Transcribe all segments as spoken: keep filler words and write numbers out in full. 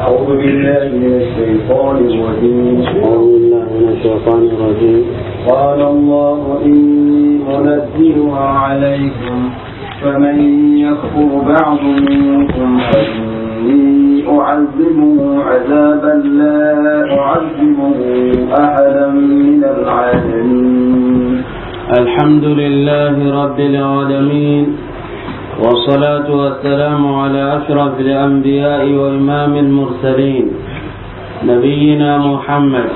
أعوذ بالله من الشيطان الرجيم. أعوذ بالله من الشيطان الرجيم. قال الله: إني منزلها عليكم، فمن يكفر بعد منكم فإني أعذبه عذابا لا أعذبه أحدا من العالمين. الحمد لله رب العالمين، والصلاة والسلام على أشرف الأنبياء وإمام المرسلين، نبينا محمد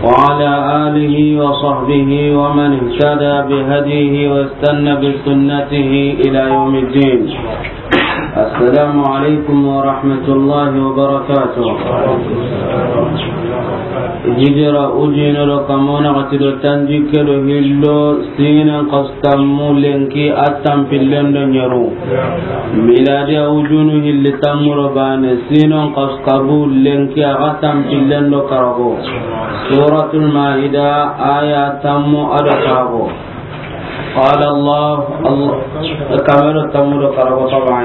وعلى آله وصحبه ومن اهتدى بهديه واستنى بسنته إلى يوم الدين. السلام عليكم ورحمة الله وبركاته. Hijira ujine do kamo naxati do tanjikke do hillo, sinan xasu tammu lenki a tanpillen do ɲeru. Miladiya ujunu hilli tammu do bane, sinan xasu kabu lenki a ga tanpillen do karago. Suratul Maida, aya tammu a do karago. قال الله، الله، كما تمر قرب طبعا.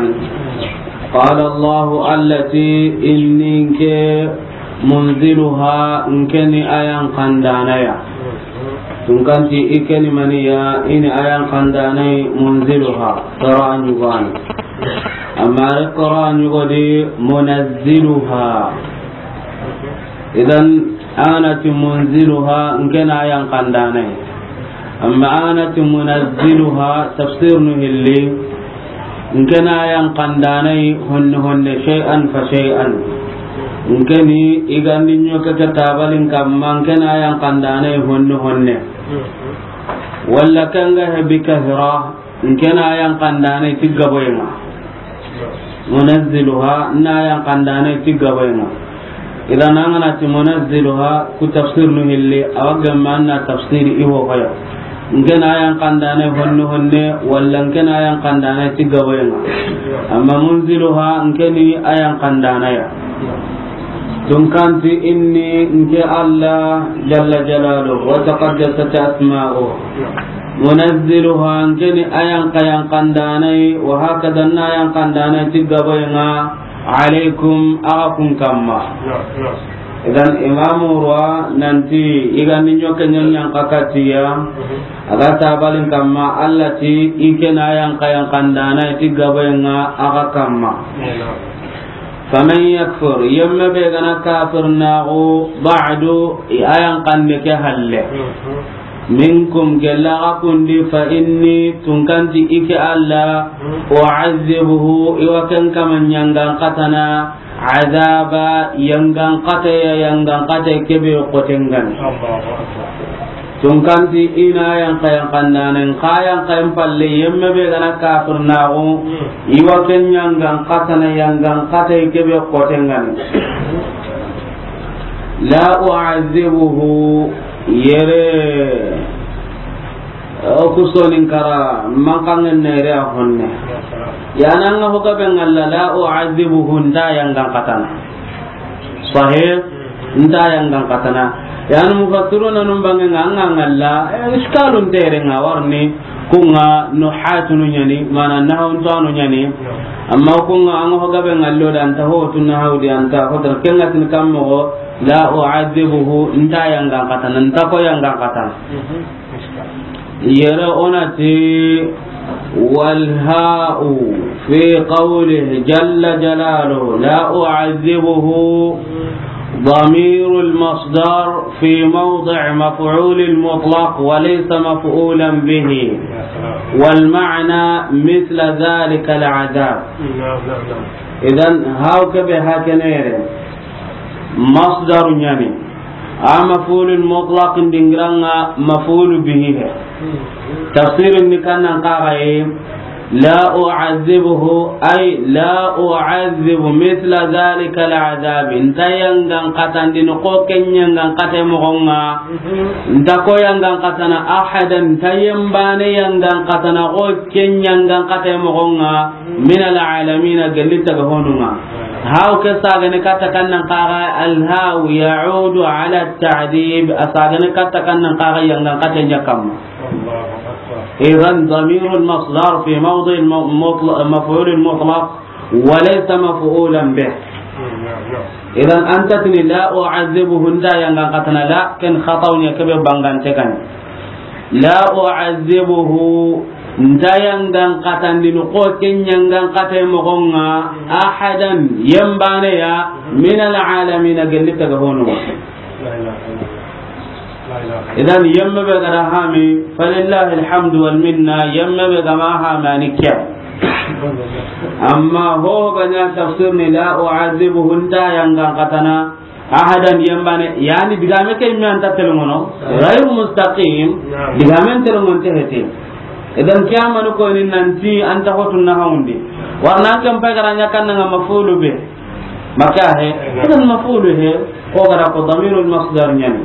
قال الله، التي إني منزلها، nke ni a yan kandanaya. Tunkanti i ke ni maniya, i ni a yan kandanai, munziluha, qira'a ɲugani. Amma qira'a ɲugodi, munazziluha. Idan, anati munziluha, nke na yan kandanai. Amma anati munazziluha, tafsir nu hilli, nke na yan kandanai honne honne, shay'an fa shay'an. Nke ni i gandi ɲoke ke tabalin kamma, nke na yan kandanai honne honne. Walla kanga he bi kahira, nke na yan kandanai ti gaboyenga. Munazziluha, na yan kandanai ti gaboyenga. Idan an ga na ti munazziluha, ku tafsir nu hilli, a wa gemma na tafsiri i ho hoya. Nke na yan kandanai honne honne, walla nke na yan kandanai ti gaboyenga. Amma munziluha, nke ni a yan kandanaya. Tunkanti inni, nke Allah jalla jalaluhu wa taqaddasat asma'uhu. Munazziluha, nke ni a yan ka yan kandanai, wa hakada na yan kandanai ti gaboyenga, alaykum, aga kun kamma. Idan imamu ruwa nanti i gandi ɲoke ɲanyan kakatiya, aga tabalin kamma, Allah ti i ke na yan ka yan kandanai ti gaboyenga aga kamma. Faman yakfur, yemme be gana kafir naxu, ba'du, i a yan kande ke halle. Minkum, gella ga kundi, fa inni, tunkanti i ke Allah, u'azzibuhu, i wa ken kama ɲangan katana, azaba, yangan kate ya, yangan kate kebe kotengan. Tunkanti i na yan ka yan kandanen, ka yan ka yan palle, yemme be gana kafir naxu, i wa ken ɲangan katana, yangan kate kebe kotengan. La u'azzibuhu, yere, o ku sonin kara, mankangen na yere a honne. Yananga hoga be ngalla, la u'azzibuhu, nta yangan katana. Sahih, nta yangan katana. Yani mufassiruna num bange nga, anga ngalla, eh, iskalun tere nga warni, kunga nuhatunu ɲani, mana nahawun tanu ɲani. Amma kunga anga hoga be ngallo da anta ho tu nahawu di anta ho tar kenga tin kammo, la u'adhibuhu, nta yangan katana, nta ko yangan katana. Yere onati, والهاء في قوله جل جلاله لا أعذبه ضمير المصدر في موضع مفعول مطلق وليس مفعولا به، والمعنى مثل ذلك العذاب. Idan, haw ke be hakene yere. Masdaru ɲani. A maf'ulul mutlaq ndingiranga maf'ulu bihi he. Tafsirin ni kannan kaga ye, la u'adhibuhu, ay la u'adhibu mithla dhalika al'adhab. Nta yangan katandini ko ken yangan kate mogonga. Nta ko yangan katana ahadan, nta yembane yangan katana ko ken yangan kate mogonga. Min al'alamina, gelli taga honunga. Haw ke sagane katta kannan kaga, alhaw ya'udu ala ta'dib, a sagane katta kannan kaga yangan kate ɲakamma. Idan damirul masdar fi mawdi'il mu-, mutla-, maf'ulil mutlaq wa laysa maf'ulan bih. Idan, an ta tini, "La u'azzibuhu," nta yangan katana, la, ken xataw ɲa, kebe bangante kan. "La u'azzibuhu," nta yangan katandini ko ken yangan kate moxon ŋa, "ahadan," yembane ya, "minal alamina," gelli taga honu. Idan, yemme be ga da hami, falillahi alhamdu wal minna, yemme be ga ma hami a ni ke ya. Amma ho ga ɲa tafsir ni, "La u'azzibuhu," nta yangan katana, "ahadan," yembane, yani digame ke mi anta telongono, ghayru mustaqim, digame telongon te hete. Idan, kiyamanu ko ni nanti anta hotun na hawundi. Warna an kan pay ga ra ɲa kan ŋa mafulu be. Maka he, idan mafulu he, ko ga ra ko damirul masdar ɲani.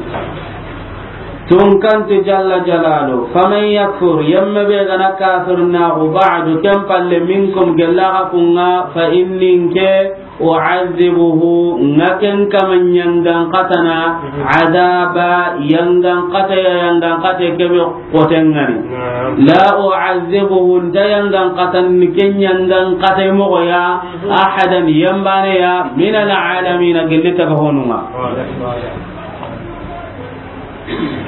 Tunkanti jalla jalalu, "Faman yakfur," yemme be ga na kafir na ku, "ba'du," ken palle, "minkum," gella xa kun ŋa, "fa inni," nke, "u'azzibuhu," nga ken kama yangan katana, "adaba," yangan kata ya, yangan kata kebe koten ŋa ni. "La u'azzibuhu," nta yangan katan ni ken yangan kata moxo ya, "ahadan," yembane ya, "minal alamina," gelli taga honu ŋa.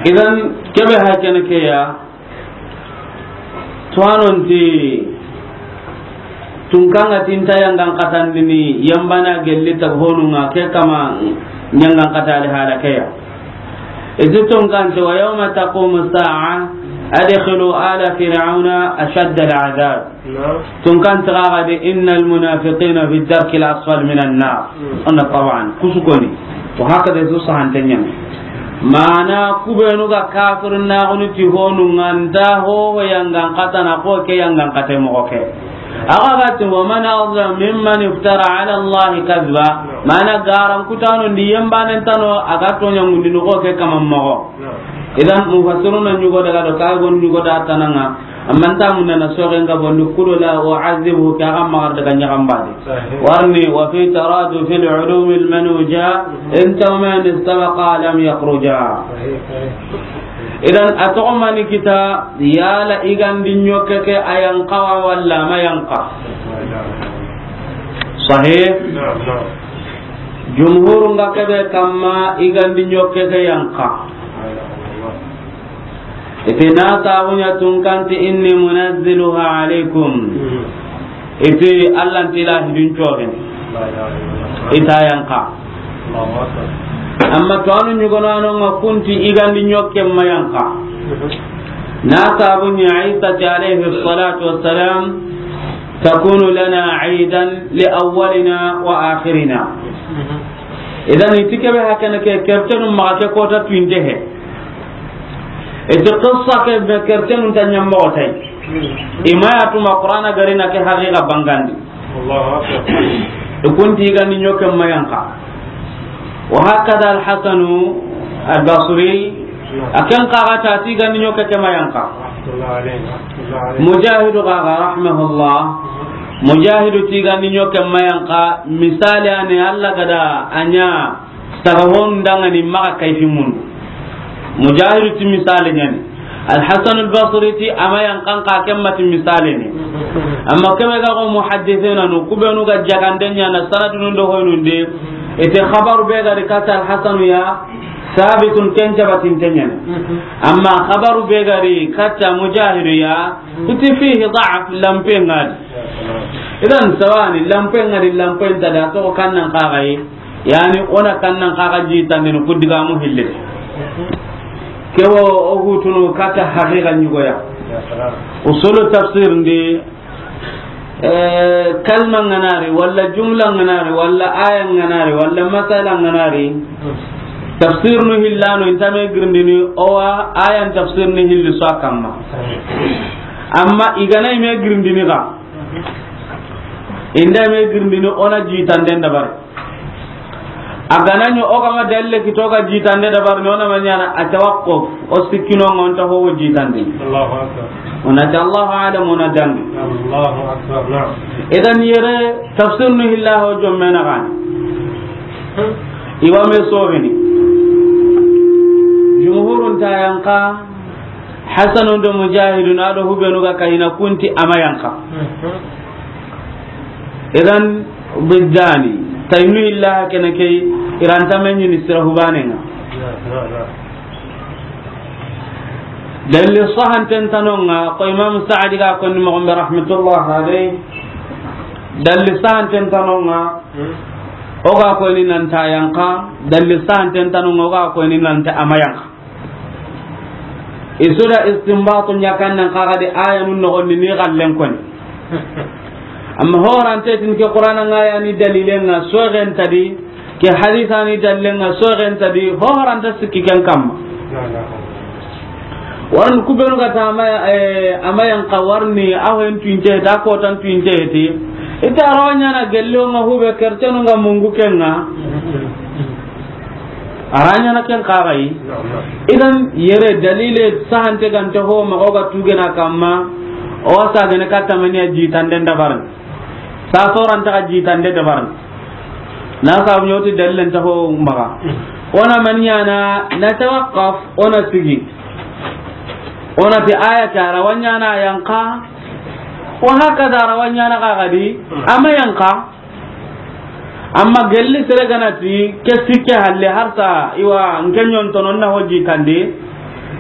Idan, kebe ha kene ke ya, Tuwanonti, tunkan ŋa ti nta yangan katandini, yembana gelli taga honu ŋa, ke kama yangan katali hala ke ya. Iti tunkanti, "Wa yawma taqumu sa'a, adkhilu ala fir'auna ashadda al-adhab." Tunkanti xa ga di, "Innal munafiqina fi darkil asfal minan nar." Anda tawan, kusukoni. Wa hakada su sahanten ɲa ni. Mana kubenu ga kafir na gunu ti honu ŋa nta ho yangan katana ko ke yangan kate moxo ke. Axa ga ti, "Wa man azlam mimman iftara ala Allahi kadhiba." Mana garan kutano ndi yembanen tano a ga toɲa ŋundini ko ke kaman moxo. Idan mufassiruna ɲugo daga do ka gon ɲugo da tananga. Amma nta munna na soxen ga bondi kudo la u'azzibuhu, ke axa magar daga ɲaxan bade. Warni, "Wa fi taradu fil ulumil manuja, in tawman istabaqa lam yakhruja." Idan, a toxo mani kita, yala i gandi ɲokke ke a yanqa wa walla ma yanqa? Sahih? Jumhurun ga kebe kamma i gandi ɲokke ke yanqa. Iti na sabu ɲa tunkanti, "Inni munazziluha alaykum." Iti Allah nti la hidun cogen. Ita yanqa. Amma to anu ɲugono anu nga kunti i gandi ɲokke ma yanqa. Na sabu ɲa Isa ti alayhi salatu wassalam, "Takunu lana aidan li awwalina wa akhirina." Idan iti kebe hakene ke kertenu maxa ke kota tuinte he. Iti qissa ke be kertenu ta ɲammoxo tay. Ima ya tuma Qur'ana gari na ke haqiqa bangandi. Allahu akbar. I kunti i gandi ɲokke ma yanqa. Wa hakada Al-Hasanu Al-Basri, a ken xa ga ta ti gandi ɲokke ke ma yanqa. Mujahidu xa ga, rahimahullah. Mujahidu ti gandi ɲokke ma yanqa, misali ani Allah gada a ɲa taga hon dangani maxa kayfi mundu. Mujahidu ti misali ɲani. Al-Hasan al-Basri ti a ma yanqan xa ken ma ti misali ni. Amma kebe ga ko muhaddisina nu, kubenu ga jagande ɲana sanadunu do hoynundi, ite xabaru be ga ri kata Al-Hasanu ya, sabitun ken jabatin tenyani. Amma xabaru be ga ri kata Mujahidu ya, kuti fihi da'af, lampe ngadi. Idan sawani, lampe ngadi, lampe nta da to kannan xa gayi. Yani, o na kannan xa ga jitandini ku digamu hille. Ke wo, o hutunu kata haqiqa ɲugoya. Usulu tafsir ndi, eh, kalma nganari, walla jumla nganari, walla aya nganari, walla masala nganari. Tafsir nu hillano intame girindini, o wa ayan tafsir ni hilli so a kamma. Amma i gana ime girindini ga. Inda me girindini o na jitanden dabari. A gana ɲi o ga ma dalle kito ga jitande dabari, no na ma ɲana a tawaqquf, o sikkino ngonta ho jitande. Allahu akbar. O na ti Allahu a'lam, o na dangi. Allahu akbar, na'am. Idan yere tafsir nu hilla ho jomme na gani. Iwa me sogini. Jumhurun ta yanqa, Hasanun do Mujahidun a do hubenu ga kayina kunti a ma yanqa. Idan, biddani, Taynu illa kene ke, i ra nta me ɲini sira hubanen ŋa. Dalli sahanten tanonga, ko Imam Sa'di ga konni moxon be rahmatullah alayhi. Dalli sahanten tanonga, o ga konni nan ta yanqa. Dalli sahanten tanonga, o ga konni nan ta a ma yanqa. I su da istinbatu ɲa kan nan kaga di aya nun noxon ni xallen koni. Amma horante tin ke Qur'ana ŋa ya ni dalilen ŋa soxen ta di, ke hadisa ni dalilen ŋa soxen ta di, horanta sikki ken kamma. Warni kubenu ga ta a ma, eh, a ma yanqa warni a hoyen tuinte, ta kotan tuinte ti. Ita rawa ɲana gello ŋa hube kertenu ŋa mungu ken ŋa. A ra ɲana ken kaga yi. Idan yere dalile sahante gante ho maxa o ga tugena kamma, o wa sagene katta maniya jitande dabarni. Sa soranta ga jitande dabarni. Na sabu ɲoti dalilen ta ho maxa. O na maniya na, na tawaqqaf, o na sigi. O na ti aya ke a ra wa ɲana yanqa. Wa hakaza a ra wa ɲana kaga di, a ma yanqa. Amma gelli sere ga na ti ke sikke halle harsa, iwa, nke ɲontono na ho jitandi,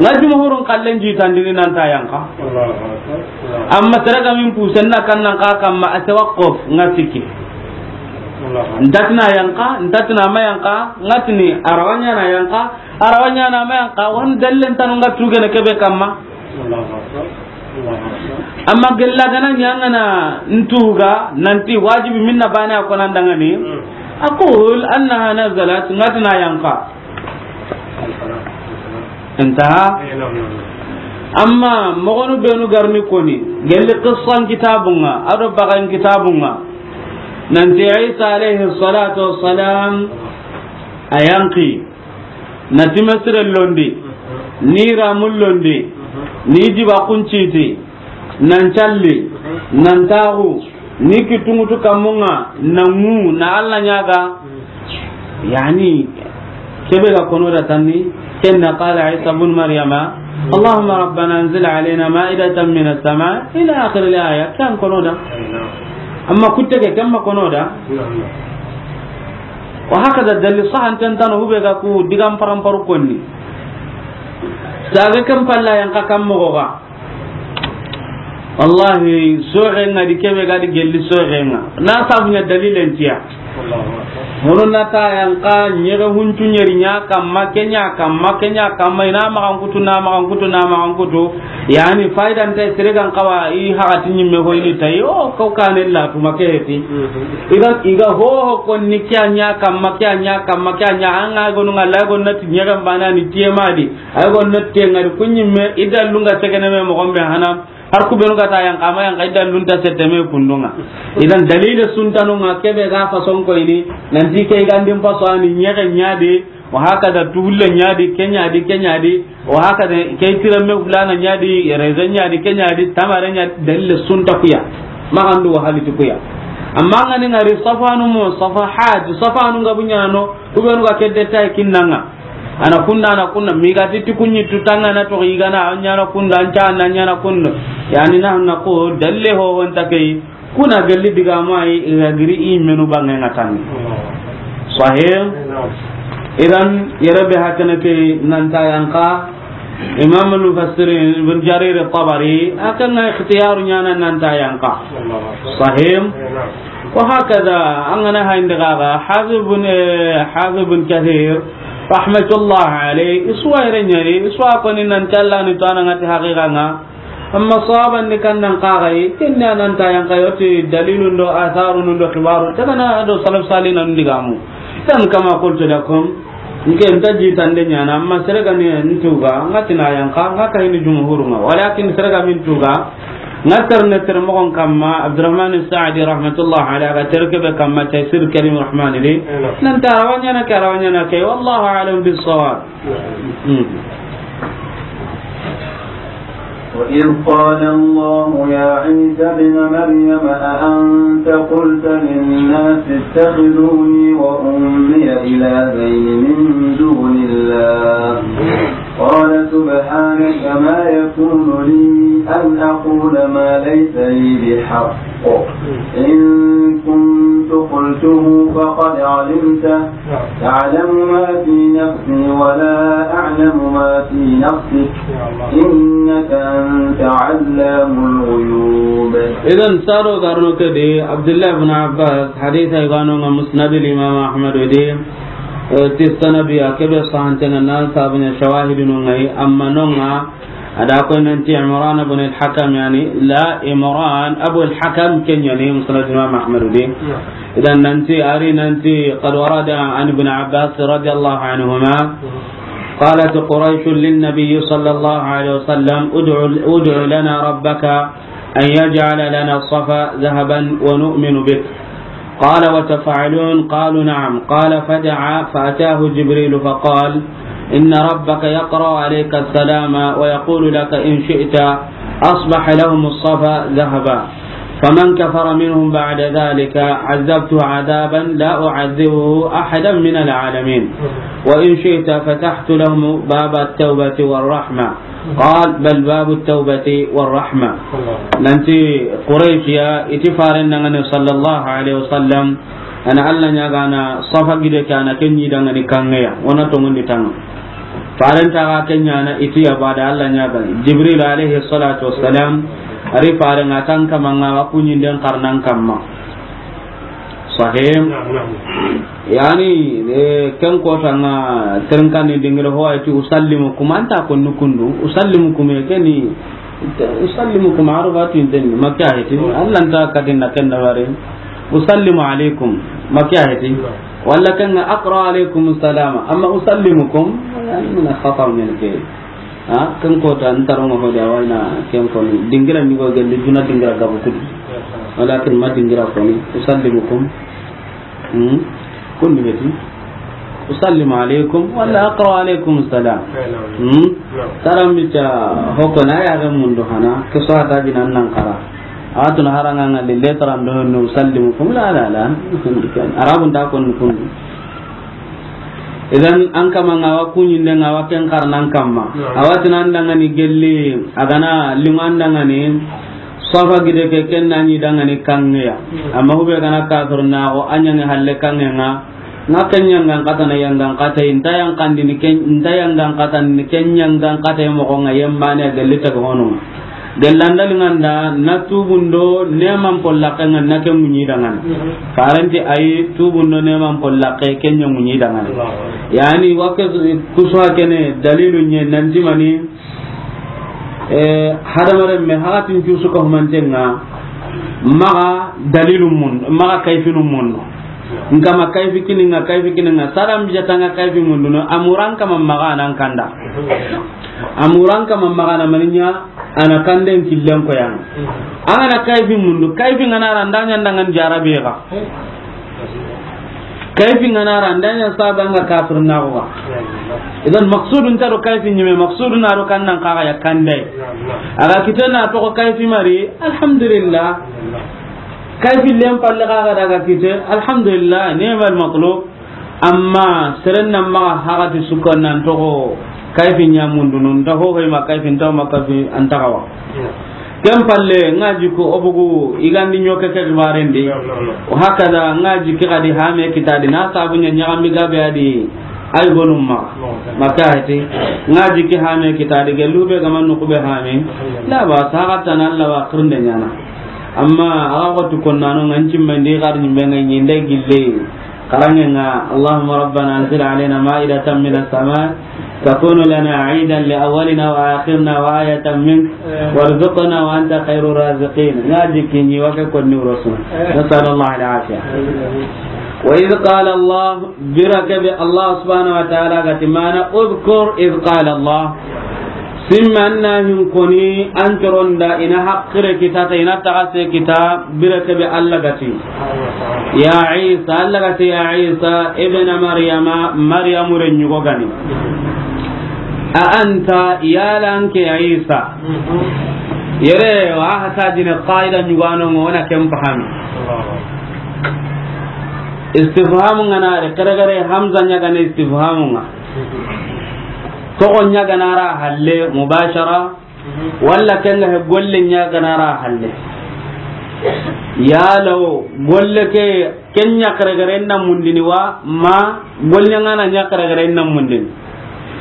ŋa jumhurun kallen jitandini nan ta yanqa. Amma sere ga min pusen na kan nan ka kamma a tawaqquf ŋa sikki. Ntatina yanqa, ntatina ma yanqa, ŋa tini a ra wa ɲana yanqa, a ra wa ɲana ma yanqa, wan dallen tanu ŋa tugene kebe kamma. Amma gella gana ɲangana ntuga nanti wajibi minna bane a konan dangani. Aqul annaha nazalat, ngatna yanqa. Intaha. Amma mogonu benu garni koni, gelli qissan kitabunga, ado bagan kitabunga. Nanti Isa alayhi salatu wassalam, a yanqi. Na timesire londi, ni ramun londi, ni jiba kunciti, nan calli, nan taxu, ni kitungutu kamunga, na ŋu, na Alla ɲaga. Yani, kebe ga kono da tanni, kenna qala Isa ibn Maryama, Allahumma rabbana anzil alayna ma'idatan minas sama, ila akhir al-aya, kan kono da. Amma kutte ke, kamma kono da. Wa hakaza dalli sahanten tano hube ga ku digan paramparu konni. Saga kan palla yanqa kam mogo ga. Wallahi, soxenga di kebe ga di gelli soxenga. Na sabunya dalilen tiya. Hono na ta yanqa ɲege huncu ɲeri ɲa kamma, ke ɲa kamma, ke ɲa kamma, ina maxan kutu, na maxan kutu, na maxan kutu. Yani, fayda nta sere gan xawa, i haxati ɲimme hoyni tayi, o, ko kane la tuma ke heti. Iga, iga ho, ho konni ke ɲa kamma, ke ɲa kamma, ke ɲa, anga gonu nga la gonna ti ɲege bana ni tiye madi. Ay gonna te ngari kunyimme, ida lunga segene me mo gombe hana. Har ku benu ga ta yanqa, a ma yanqa, ida lunta sette me kundunga. Idan dalile suntanu nga kebe ga fason ko ini, nanti ke igandin faso ani ɲege ɲadi, wa hakada tuhulle ɲadi, ke ɲadi, ke ɲadi, wa hakada ke tirame fulana ɲadi, raisin ɲadi, ke ɲadi, tamare ɲadi, dalile sunta kuya. Magandu wa haliti kuya. Amma ngani ngari safanu mo, safahat, safanu nga bunyano, ku benu ga kedde tay kinnanga. Ana kunda, ana kunda, mi ga ti ti kunyi tu tanga na to igana, anya na kunda, anca na anya na kunda. Yani na na ko dalle ho wonta kai, kuna galli diga mai, iga giri i menu bangai na tan. Sahih. Idan yarabe hakana ke nan ta yanqa. Imam al-Mufassirin Ibn Jarir al-Tabari, akan na ikhtiyaru nyana nan ta yanqa. Sahih. Wa hakada, an gana hainde gaga, Hafiz ibn, eh, Hafiz ibn Kathir, rahmatullah alayh, iswa ire nyari, iswa koni nan talla ni to ana ngati haqiqa nga. Amma sahaban ni kan nan kagai, kinna nan ta yanqa yoti dalilun do atharun do khibarun, tagana do salaf salina ndigamu. Tan kama qultu lakum, nke nta jitande ɲana, amma sere ga ni ntuga, nga tina yanqa, nga kayini jumhuru nga. Walakin sere ga min tuga, nga terne tere mogon kamma, Abdurrahman Sa'di rahmatullah alayhi, ga tere kebe kamma, Taysir Karim Rahman di. Nan ta rawa ɲana ke, rawa ɲana ke, wallahu a'lam bis-sawab. وإذ قال الله يا عيسى ابن مريم أأنت قلت للناس اتخذوني وأمي إلهين من دون الله؟ قال سبحانك ما يكون لي أن أقول ما ليس لي بحق. إن كنت قلته فقد علمته، تعلم ما في نفسي ولا أعلم ما في نفسك، إنك أنت علام الغيوب. Idan, saro garno ke de, Abdullah ibn Abbas, hadith ay gano nga Musnad al-Imam Ahmad de, eh, ti sanad ya ke be sahante nga nan sabanya shawahidun ngai, amma no nga, A da koy nanti Imran ibn al-Hakam, yani, la Imran Abu al-Hakam, ken yani Musnad Imam Ahmad di. Idan nanti, ari nanti, قد ورد عن ابن عباس رضي الله عنهما، قالت قريش للنبي صلى الله عليه وسلم: ادع، ادع لنا ربك أن يجعل لنا الصفا ذهبا ونؤمن بك. قال: وتفعلون؟ قالوا: نعم. قال: فدعا، فأتاه جبريل فقال: إن ربك يقرأ عليك السلام ويقول لك: إن شئت أصبح لهم الصفا ذهبا، فمن كفر منهم بعد ذلك عذبته عذابا لا أعذبه أحدا من العالمين، وإن شئت فتحت لهم باب التوبة والرحمة. قال: بل باب التوبة والرحمة. Nanti Quraysh ya, i ti faren dangani sallallahu alaihi wasallam, ana Allah ɲaagana Safa gide ke, ana ken ɲi dangani kanŋe ya, o na tonŋundi tanga. Faren ta ga ken ɲaana, i ti ya bada Allah ɲaagana. Jibril alaihi salatu wassalam, ari faren ŋa tan kamanga wa kuɲinden karnan kamma. Sahih. Naam, naam. Yani, eh, ken kota nga ternkani dingira ho ayti usallimukum, anta ko nukundu, usallimukum, e keni, usallimukum, arabatu inten, makka heti, Allah nta katin na ken da bare, usallimu alaikum, makka heti, wala kan aqra alaikum salama, amma usallimukum, yani, min khata min ke. Ha, ken kota, n tarongo hodi, a wayna ken koni. Dingira ni go gelli, duna dingira gabu kudi. Walakin ma dingira koni. Usallimukum. Hmm? Kun ni beti. Usallimu alaikum, wala aqra alaikum salam. Hmm? Taramita hoko na ya ga mundu hana, ke so ta jinan nan kara. Atun haranga ngalli letran do no usallimukum, la, la, la. Arabun ta kon kun. Idan, an kama nga wa kuɲinde nga wa ken karnan kamma. Naam. A wa tinan dangani gelli, a gana liman dangani, Safa gide ke ken na ɲi dangani kanŋe ya. Naam. Amma hube gana kafir na go, a ɲangi halle kanŋe nga, nga ken ɲangan kata na yangan kata, inta yan kandi ni ken, inta yangan kata ni ken ɲangan kata mo ko nga yembane gelli ta go honu. Gellanda linganda na tubundo neman pollake nga na ke muɲi dangana. Mhm. Faranti ayi tubundo neman pollake kenya muɲi dangana. Allahu Akbar. Yani wakke kusuwa kene dalilu nye nanti mani, eh, hadamaren me hakatin cusu ka humantenga maga dalilu mun, maga kayfinu mun. Nkama kayfi kininga, kayfi kininga. Saram bijatanga kayfi munduno. Amuran kama maga nan kanda. Amuran kama maga na maninya. Ana kanden killen ko yan. An gana kayfi mundu, kayfi ngana randa ɲa ndangan jarabe ga. Kayfi ngana randa ɲa saba nga kafir na ga. Idan maqsudun ta do kayfi ɲime, maqsudun na do kannan kaga ya kandai. Aga kitena to ko kayfi mari, alhamdulillah. Kayfi lem palle kaga daga kite, alhamdulillah, ni'mal matlub. Amma seren nan maga hagati suka nan togo kayfi ɲamundunu, nta ho hoy ma kayfi, nta ma kayfi, anta gawa. Ken palle, nga jiko obugu, igandi ɲoke ke xibarendi. Wa hakada, nga jiki gadi hame kitadi, na sabu ɲa ɲagami gabe adi, ay gonum ma. Maka heti, nga jiki hame kitadi, gelu be gama nuku be hame. La ba, sagatana Allah wa kirnde ɲana. Amma, aga ko tu konnano, nganci mandi gar ni menga ɲinde gille. Karangenga, اللهم ربنا أنزل علينا مائدة من السماء تكون لنا عيدا لأولنا وآخرنا وآية منك وارزقنا وأنت خير الرازقين. Nga jiki ni wake konni rasul. نسأل الله العافية. وإذ قال الله, bire be Allah subhanahu wa ta'ala gati mana, اذكر إذ قال الله. Simma anna hin koni an toronda ina hakkire kita ta ina taxase kita bire kebe Allah gati. Ya Isa, Allah gati ya Isa ibn Maryama, Maryamu ren ɲugo gani. A anta, yalanke ya Isa. Yere wa hata jine qaida ɲugano ngo na ken fahami. Istifhamu ngana re kare kare hamza ɲagane istifhamu nga. Toxo ɲaganara halle mubashara, walla kenga he golle ɲaganara halle. Yala wo golle ke, ken ɲa xeregere na mundini wa, ma golle ɲa ŋa na ɲa xeregere na mundini.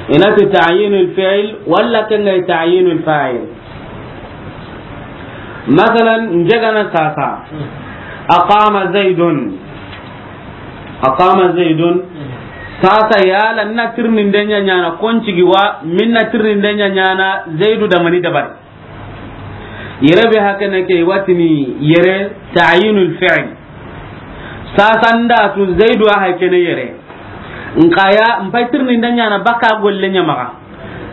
I na ti ta'yinul fi'l walla ken ŋa ta'yinul fa'il. Masalan, n jagana sasa. Aqama Zaidun. Aqama Zaidun. Sasa yala na tirninde ɲa ɲaana, kon cigi wa, min na tirninde ɲa ɲaana, Zaidu da mani dabari. Yere be hakene ke watini yere ta'yinul fi'l. Sasa nda tu Zaidu a hakene yere. Nkaya, n pay tirninde ɲaana baka golle ɲa maxa.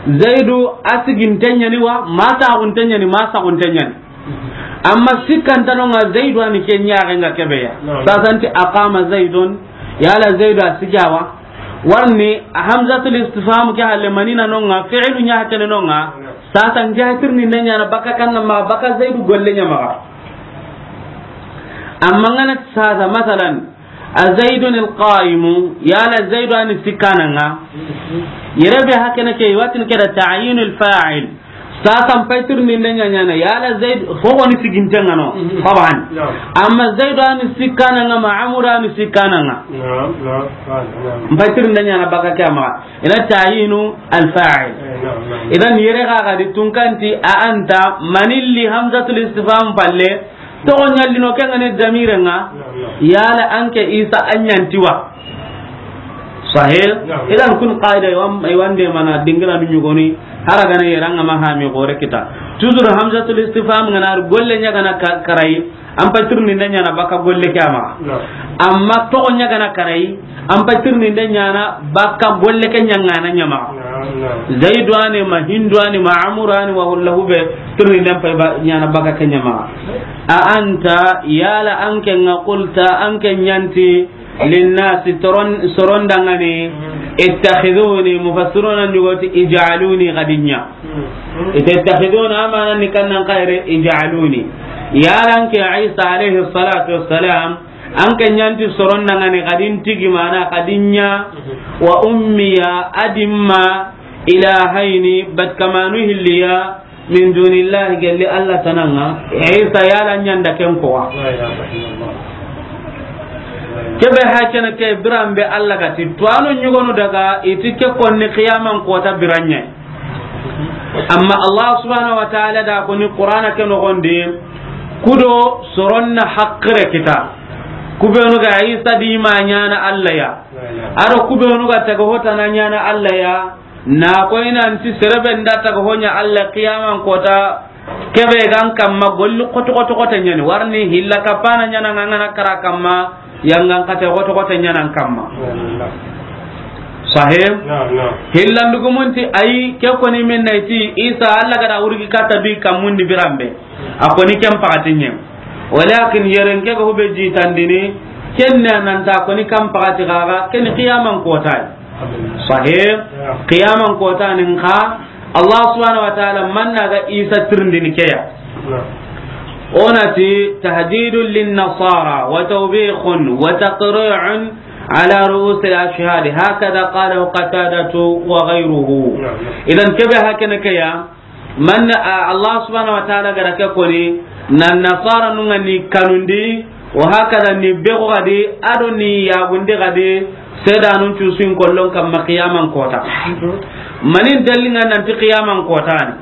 Zaidu a siginte ɲani wa, ma saxunte ɲani, ma saxunte ɲani. Amma sikkanta no ŋa Zaidu a ni ke ɲaxe ŋa kebe ya. Naam. Sasa n ti aqama Zaidun, yala Zaidu a sigi a wa. Warni a hamzatul istifham ke halle mani na no ŋa, fi'lu ɲa hakene no ŋa. Naam. Sasa n ja tirninde ɲaana baka kanna ma, baka Zaidu golle ɲa maxa. Amma ŋa na sasa, masalan, A Zaidun al-qa'imu, yala Zaidu a ni sikkana ŋa. Yere be hakene ke, i wa tini ke da ta'yinul fa'il. Sasa n pay tirninde ɲa ɲaana, yala Zaidu, fo ni siginte ŋa no, Mhm. Taban. Naam. Amma Zaidu a ni sikkana ŋa, ma Amru a ni sikkana ŋa. Naam, naam, naam, naam. N pay tirninde ɲaana baka ke a maxa. I na ta'yinu al-fa'il. Eh, naam, naam. Idan yere ga ga di tunkanti a anta, manilli hamzatul istifham palle, toxo ɲallino ke ŋa ni damire ŋa, Naam, naam. Yala an ke Isa a ɲanti wa. Sahih? Naam. Idan kun qaida i wan-, i wande mana dingira nu ɲugoni, hara gana yere ŋa ma hami gore kita. Toujours hamzatul istifham ŋa na golle ɲa gana ka-, karayi, an pay tirninde ɲaana baka golle ke a maxa. Naam. Amma toxo ɲa gana karayi, an pay tirninde ɲaana baka golle ke ɲa ŋa na ɲa maxa. Naam, naam. Zaidu a ni ma Hindu a ni ma Amru a ni wa hullahu be tirninde pay ba ɲaana baka ke ɲa maxa. A anta, yala an ke ŋa qulta, an ke ɲanti, linnasi toron-, soron da ŋa ni, ittakhiduni, mufassiruna ɲugoti, ij'aluni gadinya. Ite ittakhiduna amana ni kannan kayre ij'aluni. Yala an ke Isa alayhi salatu wassalam, an ke ɲanti soron da ŋa ni gadin tigi mana gadinya, wa ummiya adimma ilahayni bat kamanu hilliya, min dunillahi, gelli Allah tana ŋa. Isa yala ɲanda ken ko wa. La ilaha illallah. Kebe hakene ke biranbe Allah ga ti, to a no ɲugonu daga i ti ke konni qiyaman kota biranɲe. Amma Allah subhanahu wa ta'ala da koni Qur'ana ke noxondi, kudo soron na haqqire kita. Kubenu ga Isa di ma ɲaana Allah ya. Ado kubenu ga taga hotana ɲaana Allah ya. Na koy nanti serebe nda taga ho ɲa Allah qiyaman kota, kebe gan kamma golli xoto xoto xote ɲani, warni hilla kapana ɲana ŋa ŋa na kara kamma, yangan kate xoto xote ɲana kamma. Sahih? Naam, naam. Hillandugumunti ayi, ke koni min nayti Isa Allah gada wurgi kata bi kammundi biranbe. A koni ken pakati ɲe. Walakin yeren ke ga hube jitandini, ken ne nanta koni kan pakati gaga, ken qiyaman kota. Sahih. Qiyaman kota nin ka, Allah subhanahu wa ta'ala manna ga Isa tirindini keya. Onati tahdidun lin nasara wa tawbikhun wa taqri'un ala ru'usil ashhad, hakadha qalahu Qatadatu wa ghayruhu. Idan kebe hakene keya, man, a, Allah subhanahu wa ta'ala gara ke koni, nan nasara nunga ni kanundi, wa hakada ni bego gadi, ado ni yagundi gadi, sedanun cusin kollon kamma qiyaman kota. Manin dalinga nanti qiyaman kota ni.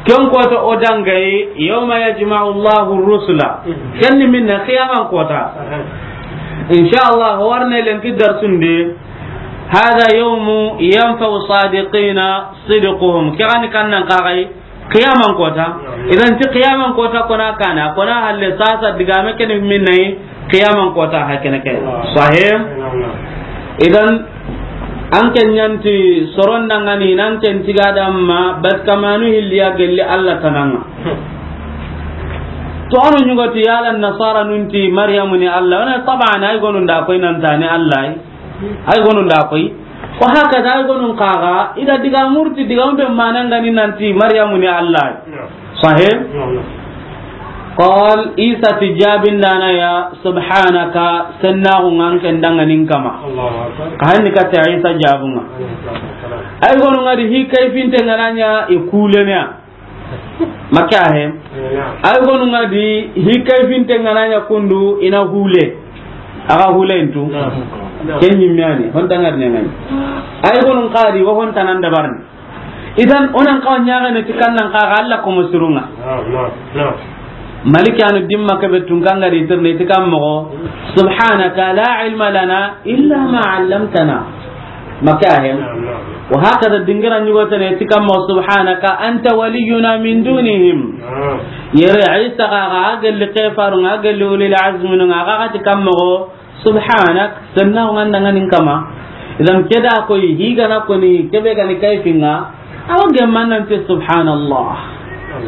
Ken kota o dangayi, yawma yajma'u Allahu rusula. Ken ni minna qiyaman kota. Insha Allah, warne lenki darsundi. Hadha yawmu yanfa'u sadiqina sidquhum. Ke gani kannan kagai qiyaman kota. Idan ti qiyaman kota kona kana, kona halle sasa digame kene minne qiyaman kota hakene ke. Sahih. Idan an ken ɲanti soron dangani nan ken tiga damma bat kamanu hilliya gelli Allah tananga. To anu ɲugoti yala nasara nunti Maryamu ni Allah. Wana taban ay gonun da koy nan tani Allah. Ay gonun da koy. Wa hakada ay gonun kaga, ida diga murti diga umbe manangani nanti Maryamu ni Allah. Sahih? Qal, Isa ti jabin dana ya, subhanaka, senna ko ngan ken danganin kama. Ka hanni ka ta Isa jabunga. Ay gonun ngadi hi kayfinte ngananya i kulenya. Maka he. Ay gonu ŋa di, hi kayfinte ŋa na ɲa kundu, i na hule. A ga hule ntu. Naam. Ken ɲimme ya ni, hon ta ŋa di ɲa ŋa ni. Ay gonu ŋa di, wo hon ta nan dabarini. Idan, o nan xawa ɲaxene ti kan nan xaxa Alla komo sirun ŋa. Naam, naam, naam. Maliki anu dimma kebe tun kan ga di tirne ti kan moxo, "Subhanaka la ilma lana illa ma allamtana." Maka he. Naam, naam. Wa hakada dingira ɲugo tene ti kan moxo, "Subhanaka anta waliyuna min dunihim." Naam. Yere Isa ga, ga gelli kefarun ŋa, gelli ulil azmin ŋa, ga ti kan moxo, "Subhanak, sennaxu ŋa n da ŋa ni n kama." Idan ke da koy, hi ga na koni, kebe ga ni kayfin ŋa, a wa gemma nan ti subhanallah.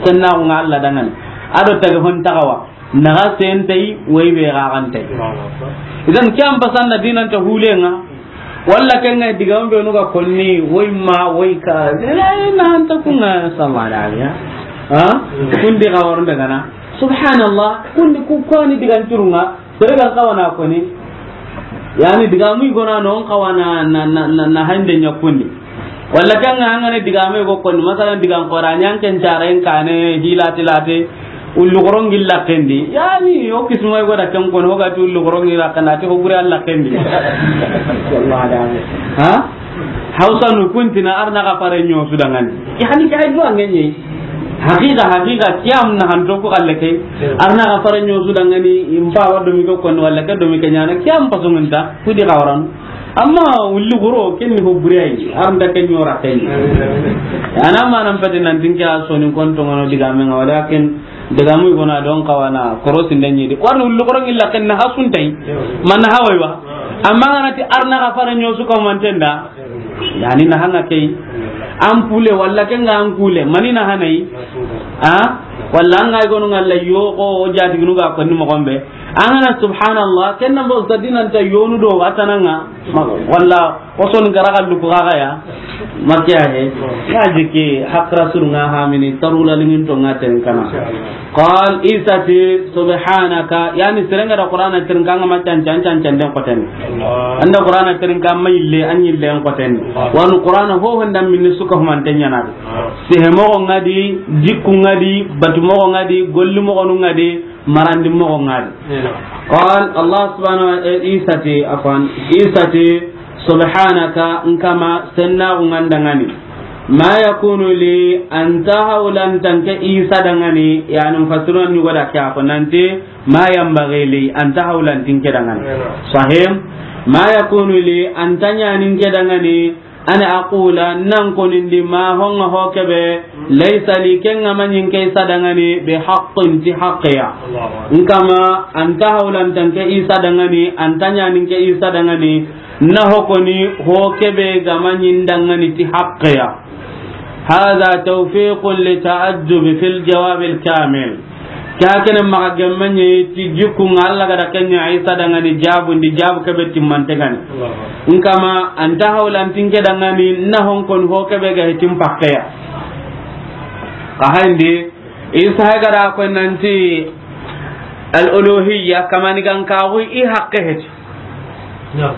Sennaxu ŋa Alla da ŋa ni. A do tage hon taxawa. Na ga sentay, woy be ga gantay. Idan ke an pasan na dinan ta hule ŋa. Walla ken ŋa diga be nu ga konni, woy ma, woy ka. Ila ina anta ku ŋa sallallahu alaihi. Ha? Kundi ga waru daga na. Subhanallah, kundi ku koni digan turun ŋa. Sere gan xawa na koni. Yani digamu i gona no xawa na, na, na, na, na hande ɲa kundi. Walla kan ŋa an ga na digame go koni. Masalan, digan xora ɲa an ken care n kane hilati late. Ullu xoron gilla kendi. Yani o kisma i go da ken koni, o ga ti ullu xoron gilla kana ti o gure Alla kendi. Wallahi da. Ha? Hausa nu kuntina arna ga fare ɲo su da ŋa ni. Yani ke ay do an ŋa ni. Haqiqa, haqiqa, kiyam na hanto ko kalle kay. Arna ga fare ɲo su da ŋa ni, impa wa do mi ko kon walla ke do mi ke ɲana, kiyam paso nta, kudi ga waran. Amma ulli goro, ken ni ho buriyai, arnda ken ɲora ken. Ana ma nan pati nan tinke a soni kon to ŋa no digame ŋa, walakin digamu i gona don xawa na, korosi ndenyi di. Warni ulli goro ngilla ken na hasuntai, man hawai wa. Amma ŋa na ti arna ga fare ɲo su ko mantenda. Yani na hana kay. An pule walla ken ŋa an kule. Mani na hana yi. Ha? Walla an ga i gonu ŋa Alla yo ko o jati gunu ga koni moxo be. An ga na subhanallah, ken na bo sadina nta yonu do a tana ŋa. Walla o son gara ga du ko ga ya. Makiya he. Ya jiki hakra sur ŋa ha mini tarula lingin to ŋa ten kana. Qal, Isa ti, subhanaka, yani sere ga da Qur'ana tirinka ŋa ma can can can can den xoten. Allah. An da Qur'ana tirinka ma yille, an yille an xoten. Allah. Wanu Qur'ana ho ho nda minni su ka humanten ɲana. Allah. Sehe moxo ŋa di, jikku ŋa di, batu moxo ŋa di, golli moxonu ŋa di, marandi moxo ŋa di. Iya. Qal, Allah subhanahu wa, eh, Isa ti, afwan, Isa ti, subhanaka, n kama, sennaxu ŋa n da ŋa ni. Ma yakunu li an ta hawlantan ke Isa da ŋa ni, yani mufassirun ɲugo da ke a ko nanti, ma yanbaghi li an ta hawlantin ke da ŋa ni. Sahih? Ma yakunu li an ta ɲanin ke da ŋa ni, an aqula nan konindi ma honga ho kebe, laysa li ken ŋa ma ɲin ke Isa da ŋa ni, bi haqqin ti haqqiya. N kama an ta hawlantan ke Isa da ŋa ni, an ta ɲanin ke Isa da ŋa ni, Na hokoni ho kebe ga ma ɲi n da ŋa ni ti haqqe ya. Hadha tawfiqun li ta'ajjub fil jawab al kamil. Ke hakene maxa gemme ɲi ti jikku ŋa Alla ga da ken ɲa Isa da ŋa ni jabundi, jabu kebe timmante ga ni. N kama an ta hawlantin ke da ŋa ni na hon koni ho kebe ga hitin pakke ya. Ka hayndi Isa ga da ko nanti al uluhiyya, kamanigankaxu i haqqe heti. Naam.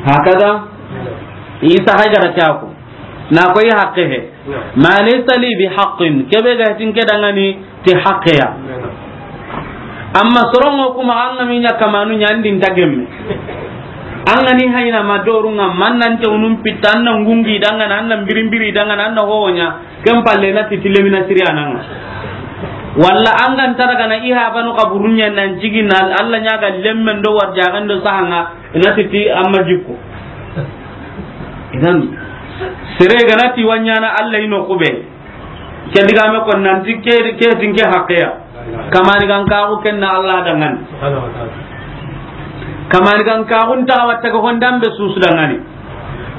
Hakada? Naam. Isa hay gara caku. Na ko i haqqe he. Naam. Ma laysa li bi haqqin. Kebe ga tin ke da ŋa ni ti haqqe ya. Naam. Amma sorongo kuma an ŋa mi ɲa kamanu ɲa ndi n ta gemme. An ŋa ni hayna ma doru ŋa, man nan te unun pitta, an na ngungi da ŋa na, an na mbirimbiri da ŋa na, an na hoho ɲa. Ken palle na ti ti lemina siri a na ŋa. Walla an ga n ta daga na i habanu kaburun ɲa nan jigi na Alla ɲa ga lemmen do warjagan do saha ŋa, na ti ti amma jikko. Idan, sere ga na ti wa ɲaana Alla i no kube. Ke digame ko nanti ke, ke tin ke haqqe ya. Kamanigankaxu ken na Alla da ŋa ni. Kamanigankaxu n ta wa taga hondan be susu da ŋa ni.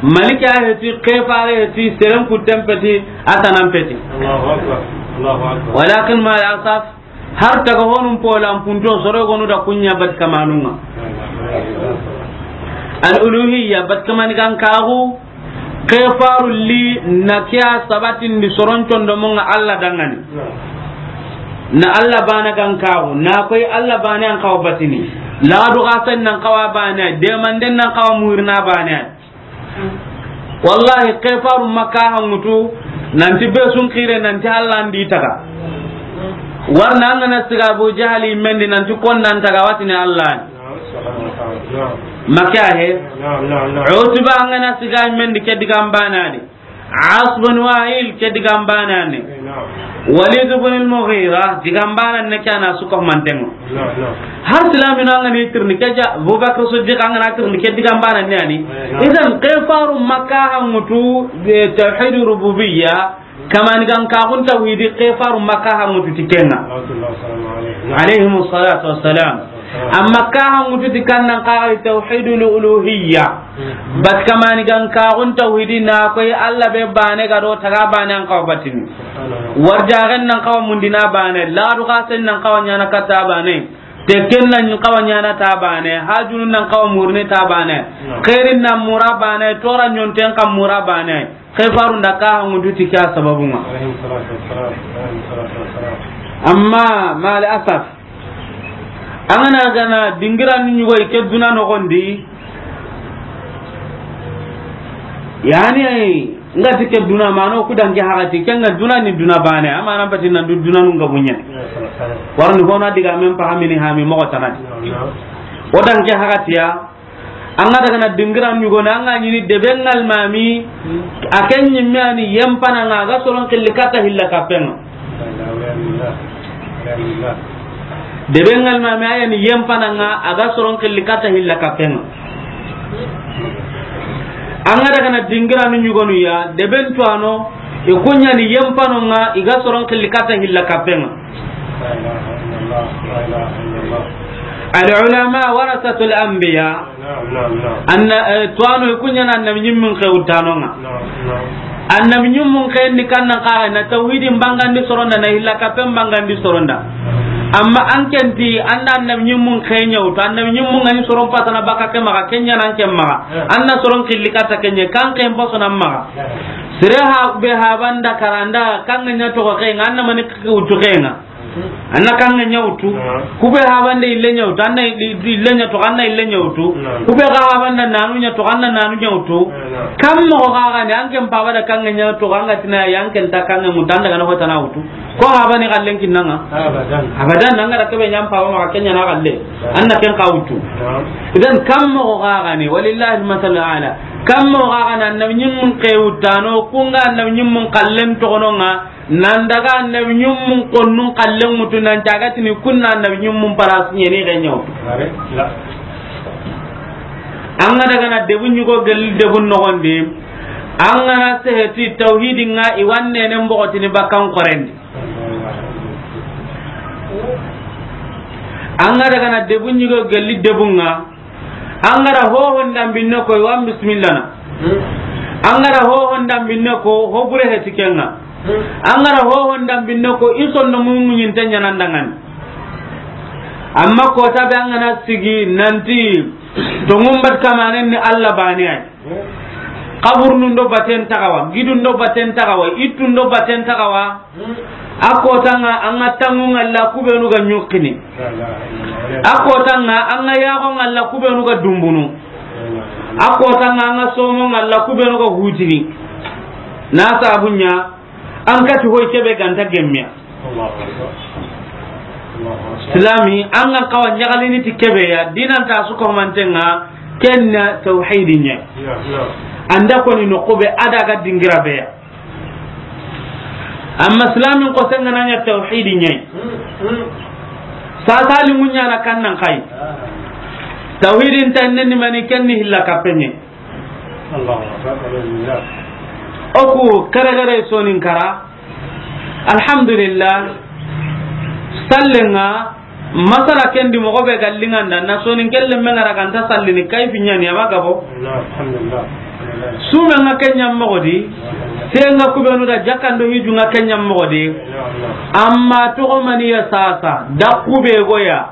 Malika heti, kefare heti, seren kutten peti, a tanan peti. Allahu akbar. Allahu akbar. Walakin ma al asaf, har taga honun polan punto soro gonu da kunya bat kamanun ŋa. Al uluhiyya, bat kamanigankaxu, kefaru li na kiya sabatindi soron condomo ŋa Alla da ŋa ni. Na Alla bana gankaxu, na koy Alla bana an kawa batini. Ladu gasen nan kawa bana, demanden nan kawa muirna bana. Wallahi, ke faru Makka hanŋutu, nanti be sun xire, nanti Allah ndi taga. Warna an ga na siga Abu Jahali mendi, nanti kon nan taga, a wa tini Allah. Makka he. Naam, naam, naam. Utba an ga na siga mendi, ke digan bana ni. As bin Wa'il, ke digan bana ni. Naam. Walid bin al-Mughira, digan bana ni, ke na su ko mantengo. Naam, naam. Har silaaminu an ga ni tirindi ke ja, Abubakar Siddiq an ga na tirindi ke digan bana ni ani. Naam. Idan, ke faru Makka hanŋutu, eh, tawhid rububiyya, kamani gan kaxun tawhidi, ke faru Makka hanŋutu ti kenŋa. Salawatullahi wa salamu alayhi. Alayhimu salatu wassalam. Amma ka hanŋutu ti kannan kaxa tawhidul uluhiyya. Hmm. Bat kamani gan kaxun tawhidi na koy Allah be bane ga do taga bane an kawa batini. Subhanallah. Warjaxen nan kawa mundini bane, ladu xasen nan kawa ɲana kata bane, tekken nan kawa ɲana ta bane, hajunun nan kawa murni ta bane, no, xeerin nan mura bane, tora ɲonten kan mura bane. Ke faru nda ka hanŋutu ti ke ya sababunŋa. Alayhi salatu wassalam. Alayhi salatu wassalam. Amma, mal asaf, an ga na gana dingira ni ɲugo ke duna noxon di. Yani, nga ti ke duna mano ku danke haxati, ke nga duna ni duna bane, amana bati nan du duna nun ga buɲe. Warni hona diga men pahamini hami moxo tanadi. O danke haxati ya, an ga daga na dingira ɲugo na, an ga ɲini debe ŋalmami, a ken ɲimme ani yempana nga, a ga soron xilli kata hilla kapenŋa. Debe ŋalmami a yani yempana nga, a ga soron xilli kata hilla kapenŋa. An ga daga na dingira nu ɲugonu ya, deben tuwano, i kuɲani yempano nga, i ga soron xilli kata hilla kapenŋa. La ilaha illallah, la ilaha illallah. Al ulama warasatul anbiya. Naam, naam, naam. Anna, eh, tuwano i kuɲana annabi ɲimmun xewutano nga. Naam, naam. Annabi ɲimmun xeyen ni kannan kaxa na tawhidin bangandi soronda, na hilla kapen bangandi soronda. Amma an kenti anda annabi ɲimmun xeyen ɲawtu, annabi ɲimmun ngani soron pasana baka ke maxa, kenya nan ke maxa. Eh. Anna soron xilli kata kenye, kan xeyen pasona maxa. Eh. Sere ha be habanda karanda, kan ŋa ɲa toxo xeyen, anna mani wutu xeyen. Anna kan ŋa ɲawtu. Naam. Kube habande ille ɲawtu, anna i-, i-, ille ɲa toxo, anna ille ɲawtu. Naam. Kube ga habanda nanu ɲa toxo, anna nanu ɲawtu. Naam. Kam moxo ga gani, an ken paba da kan ŋa ɲa toxo, an ga tina ya, an ken ta kan ŋa muta, an daga na hotana wutu. Ko habani xallen kinnanga? Abadan. Abadan, an ga da kebe ɲa an paba maxa kenya na xalle. Naam. Anna ken xa wutu. Naam. Idan kam moxo ga gani, walillahi al-masalu ala. Kam moxo ga gani, annabi ɲimmun xewutano, kunga annabi ɲimmun xallen toxono nga, nan daga annabi ɲimmun konnun xallen wutu, nan cagatini kunna annabi ɲimmun parasi ɲeni xe ɲawtu. Are, la. An ga daga na debu ɲugo gelli debun noxondi, an ga na seheti tawhidin nga i wanne ne mbogotini bakkan xorendi. An ga daga na debu ɲugo gelli debun nga, an ga ra hohon dambinne ko, i wan bismillah na. Hmm. An ga ra hohon dambinne ko, ho bure heti kenga. Hmm. An ga ra hohon dambinne ko, i sonno muɲinte ɲanan dangani. Amma kota be an ga na sigi nanti, tongun bat kamanen ni Allah bane ay. Hmm. Kaburnu ndo baten tagawa, gidu ndo baten tagawa, ittu ndo baten tagawa. A kotanga an ga tangu nga la kubenu ga ɲukkini. A kotanga an ga yaxo nga la kubenu ga dumbunu. A kotanga an ga somo nga la kubenu ga hutini. Na sabunya an kati hoy kebe ganta gemmiya. Silami an ga kawa ɲagalini ti kebe ya, dinan ta su ko mantenga, kenna tawhidi ɲa. Anda koni no kube ada ga dingira be ya. Amma silamin ko sengana ɲa tawhidi ɲa. Sasa limu ɲana kannan kai. Tawhidin tanne ni mani, kenni hilla kapenye. Allahu akbar. Oku kare kare sonin kara. Alhamdulillah. Sallenga. Masala kendi moxo be ga linganda na sonin kelle me ngara ganta sallini kayfi ɲani ama gabo. Alhamdulillah. Sume nga kenya moxo di, senga kubenu da jakando hiju nga kenya moxo di. Amma toxo mani ya sasa, da kube goya.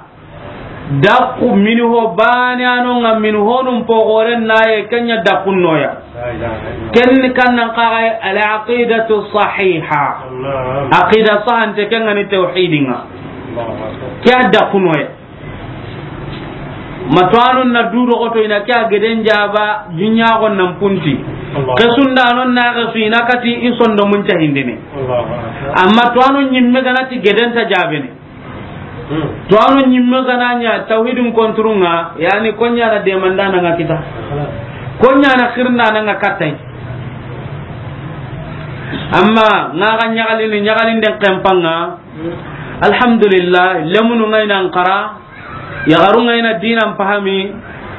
Da ku mini ho bani ano nga mini honum pogoren naye kenya da kunnoya. Ken ni kannan kaga al aqidatu sahiha. Aqida sahante ken ngani tawhidinga. Kya da kunnoya. Ma tuwaanun na du doxoto i na ke a geden jaaba, jiɲaaxon nan punti. Allah. Xesundanon na xesu i na kati i sondomun cahindini. Allahu akbar. Amma tuwaano ɲimme ga na ti geden ta jaabene. Hmm. Tuwaano ɲimme ga na ɲa tawhidin konturun ŋa, yani ko ɲa na demandaana ŋa kita. Ko ɲa na xirndaana ŋa kattay. Amma ŋa ga ɲaxalini, ɲaxalinden xenpan ŋa, alhamdulillah, lemunu ŋa i nan xara, yaxaru ŋa i na diinan fahami,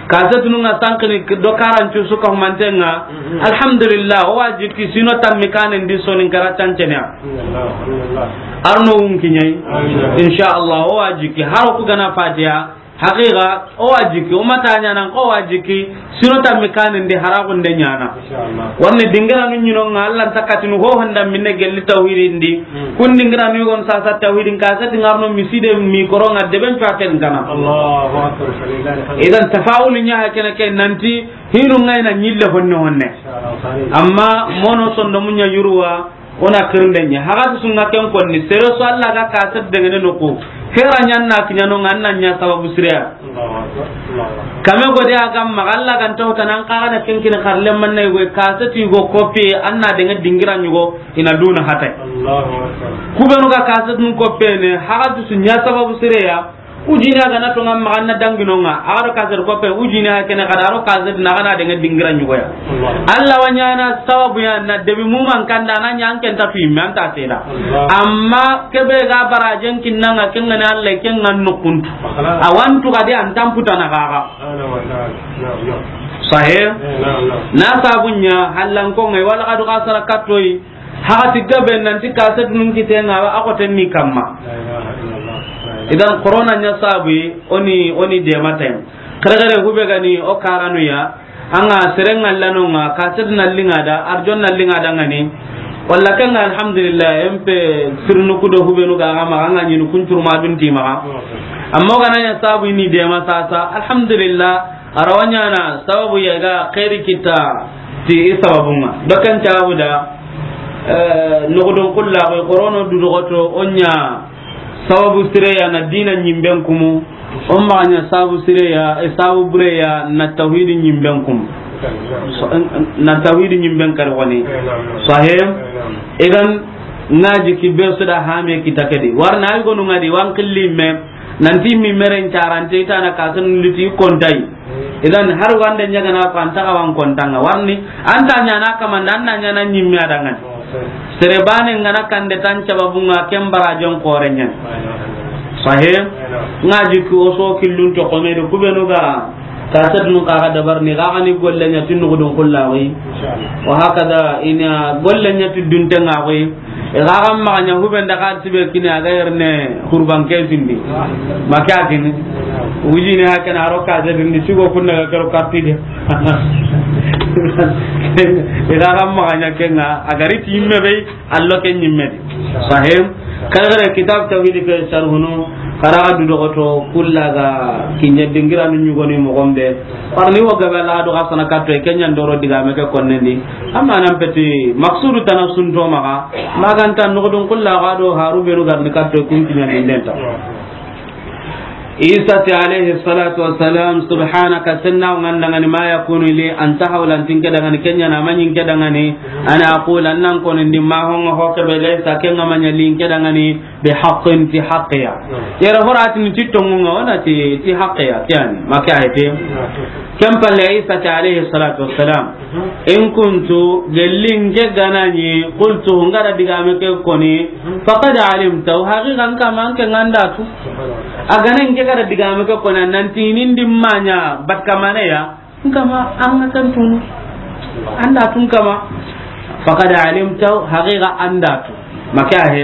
kasetunu ŋa sankini do karancu su ka humanten ŋa. Mhm. Alhamdulillah, o wa jikki sino tammi kanen di Soninkara tanceneya. Alhamdulillah. Arno wunki ɲayi. Amin. Insha Allah, o wa jikki, haro ku ga na Fatiha, haqiqa, o wa jikki, o mata ɲanan ko wa jikki, sino tammi kanen di haraxunde ɲana. Inshallah. Warni dingiranu ɲino ŋa, Allah nta katinu ho honda minne gelli tawhidin di. Hmm. Kun dingiranu yogon sasa tawhidin ka sati ŋarno miside mi koronga deben cuaken kana. Allahu akbar. Idan tafawulu ɲa ha kene ke nanti hinu ŋa i na ɲille honne honne. Inshallah. Amma mono sondomu ɲa yuruwa, o na kirinde ɲa. Haga tu sunga ken konni, sere so Allah ga kaset dengene no ko. Hera ɲan na kiɲano ŋa, an na ɲa sababu sireya. Kame gode a ga maxa, Allah ga nta wuta nan kaxa na ken kini xarle manne go, kaset i go kopi, an na denga dingira ɲugo, i na duna hatay. Allahu akbar. Ku benu ga kaset nun kopi ne, haga tu su ɲa sababu sireya, ujini a ga na to ŋa maxa na dangino ŋa, a ga do kaset kopi, ujini a kene xada ro kaset na ga na denga dingira ɲugo ya. Allah. Allah wa ɲana sababu ya na debi muman kanda na ɲa an ken ta fi me an ta seda. Allah. Amma kebe ga barajen kinnanga kengani Allah kengan nukuntu. Awantu gadi an tamputana gaga. Sahih? Na sabunya hallan ko ngai wala kadu kasara kattoyi. Hakati gabe nanti kaset nun kitenga a ko tenni kamma. Idan corona nya sabu oni, oni de matem. Kare kare hube gani o karanu ya. Anga sereng Allah no nga, kaset na linga da, arjon na linga da ngani. Walla kanga alhamdulillah, M P sirnu kudo hubenu ga ma anga nyinu kuncur ma dun ti ma. Amma ga na nya sabu ni de ma sasa, alhamdulillah, arawanya na sababu ya ga khairi kita ti sababunga. Bakan tabuda, eh, nogodon kulla ko korono du dogoto onya. Sababu sireya na dina ɲimben kumu, o maxa ɲa sababu sireya, e sababu bureya na tawhidi ɲimben kumu. So, na tawhidi ɲimben kari woni. Sahih? Idan, ngaji ki be su da hame kita kedi. Warna ay gonu ngadi wan killi me, nanti mi meren carante itana kasan liti kontai. Idan, har wande ɲagana ko anta kawan kontanga. Warni, anta ɲana kamanda, anna ɲana ɲimme adangan. Sere bane ngana kande tan cababunga ken barajon korenyen. Sahih? Ngaji ku oso killun to komedi kubenu ga kaset nun kaga dabar ni gaga ni golle nya tinu gudun kullawi. Wa hakada ina golle nya tudun tenga wi. E gaga maganya huben da ka tibe kini aga yerne hurban ke sindi. Makakini. Wujini hakana aro kaset ni sigo kunna ga karo kapide. Ira ga maganya kenga, a gari ti yimme be, allo ke ɲimme di. Sahih. Kala kala kitab tawhid ke sharhunu, kara du dogoto kulla ga kinya dingira nu ɲugoni mo gombe. Parni wo gabe la do asana katto e kenya ndoro diga me ke konnendi. Amma nan peti maksudu tana sunto maga, maganta nodon kulla ga do haru benu garni katto e kun kinya dindenta. Isa ti alayhi salatu wassalam, subhanaka, senna ngandangani, ma yakunu li an tahawla, antin ke dangani, kenya na manyin ke dangani, ana aqula, nan konindi ma honga hoke be laysa, kenga manya lin ke dangani, bi haqqin, ti haqqiya. Yara horatin ti tongunga, wana ti, ti haqqiya, kiyani, maka ayte. Ken palle Isa ti alayhi salatu wassalam. In kuntu, gellin ke ganani, qultu, ngara digame ke koni, faqad alimta, haqiqan kama an ke ngandatu. A ganan ke gara digame ke koni, nanti nindi manya, bat kamane ya, nkama an ga kan tunu. Anda tun kama. Faqad alimta, haqiqa andatu. Maka he.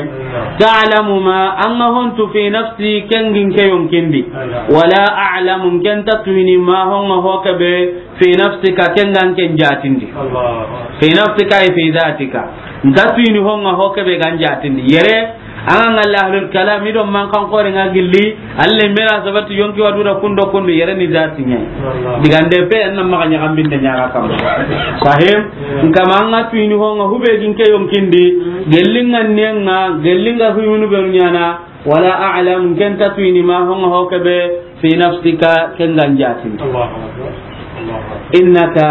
Ta'lamu ma, an ga hontu fi nafsi, kengin ke yonkindi. Wala a'lamu, ken ta tuini ma honga hoke be, fi nafsika, kengan ken jatindi. Allah. Fi nafsika, ay fi dhatika. Nta tuini honga hoke be gan jatindi. Yere, anga ngalla ahlul kalam, ido man kan kore nga gilli, alle mera sabati yonki wadu da kundo kundo, yere ni zati nya. Allah. Digande pe, anna maga nya gambinde nya ga kam. Sahim, nkama anga tuini honga hube gin ke yonkindi, gellinga nenga, gellinga huyunu be nyana, wala a'lam, ken ta tuini ma honga hoke be, Fi nafsika, ken ga n jaatin. Allahu akbar. Allahu akbar. Innaka,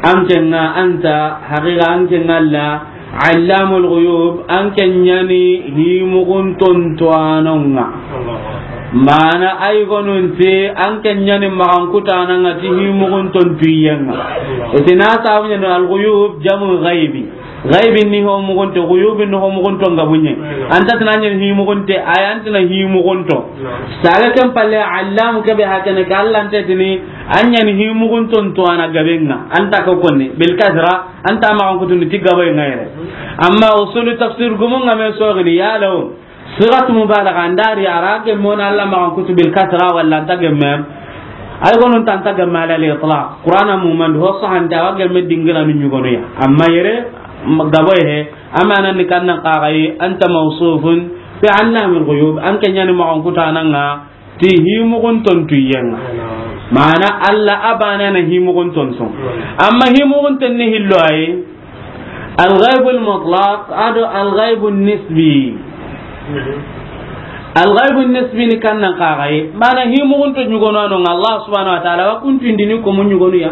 an ke ŋa, anta, haqiqa an ke ŋa Alla, allamul ghuyub, an ke ɲa ni himuxun tontuwanon ŋa. Allahu akbar. Mana ay gonunti, an ke ɲa ni maxankutanan ŋa ti himuxun tontuyen ŋa. Allahu akbar. Itina sabu ɲa ni al ghuyub, jamu ghaibi. Gaibi ni ho mugunto, guyubi ni ho mugunto nga bunye. Anta tana nyen hi mugunte, ay antina hi mugunto. Saga ken palle, allam ke be hakene ka Allah nte tini, anyen hi mugunto nto ana gabenga. Anta ko konni, bil kasra, anta ma on kutuni ti gabo ngayre. Amma usulu tafsir gumu nga me sogini, ya law. Sigat mubalagha, andari ara gemme wona Allah ma kutu bil kasra wala anta gemme. Ay gonun ta anta gemme ala al itlaq. Qur'ana muman ho sahanta wa gemme dingira ni nyugonu ya. Amma yere, m-, gabo he, amana ni kannan qagai, anta mawsufun fi allamil ghuyub, an ke ɲa ni ma on kutananga, ti hi mugun tontu yenga. Mana Allah abana na hi mugun tontu. Amma hi mugun tenni hillo ay, Al-ghaibul mutlaq, ado al-ghaibun nisbi. Al-ghaibun nisbi ni kannan kagaye. Mana hi mugunto nyugono ano nga Allah subhanahu wa ta'ala, wa kuntu indini ko mun nyugonu ya.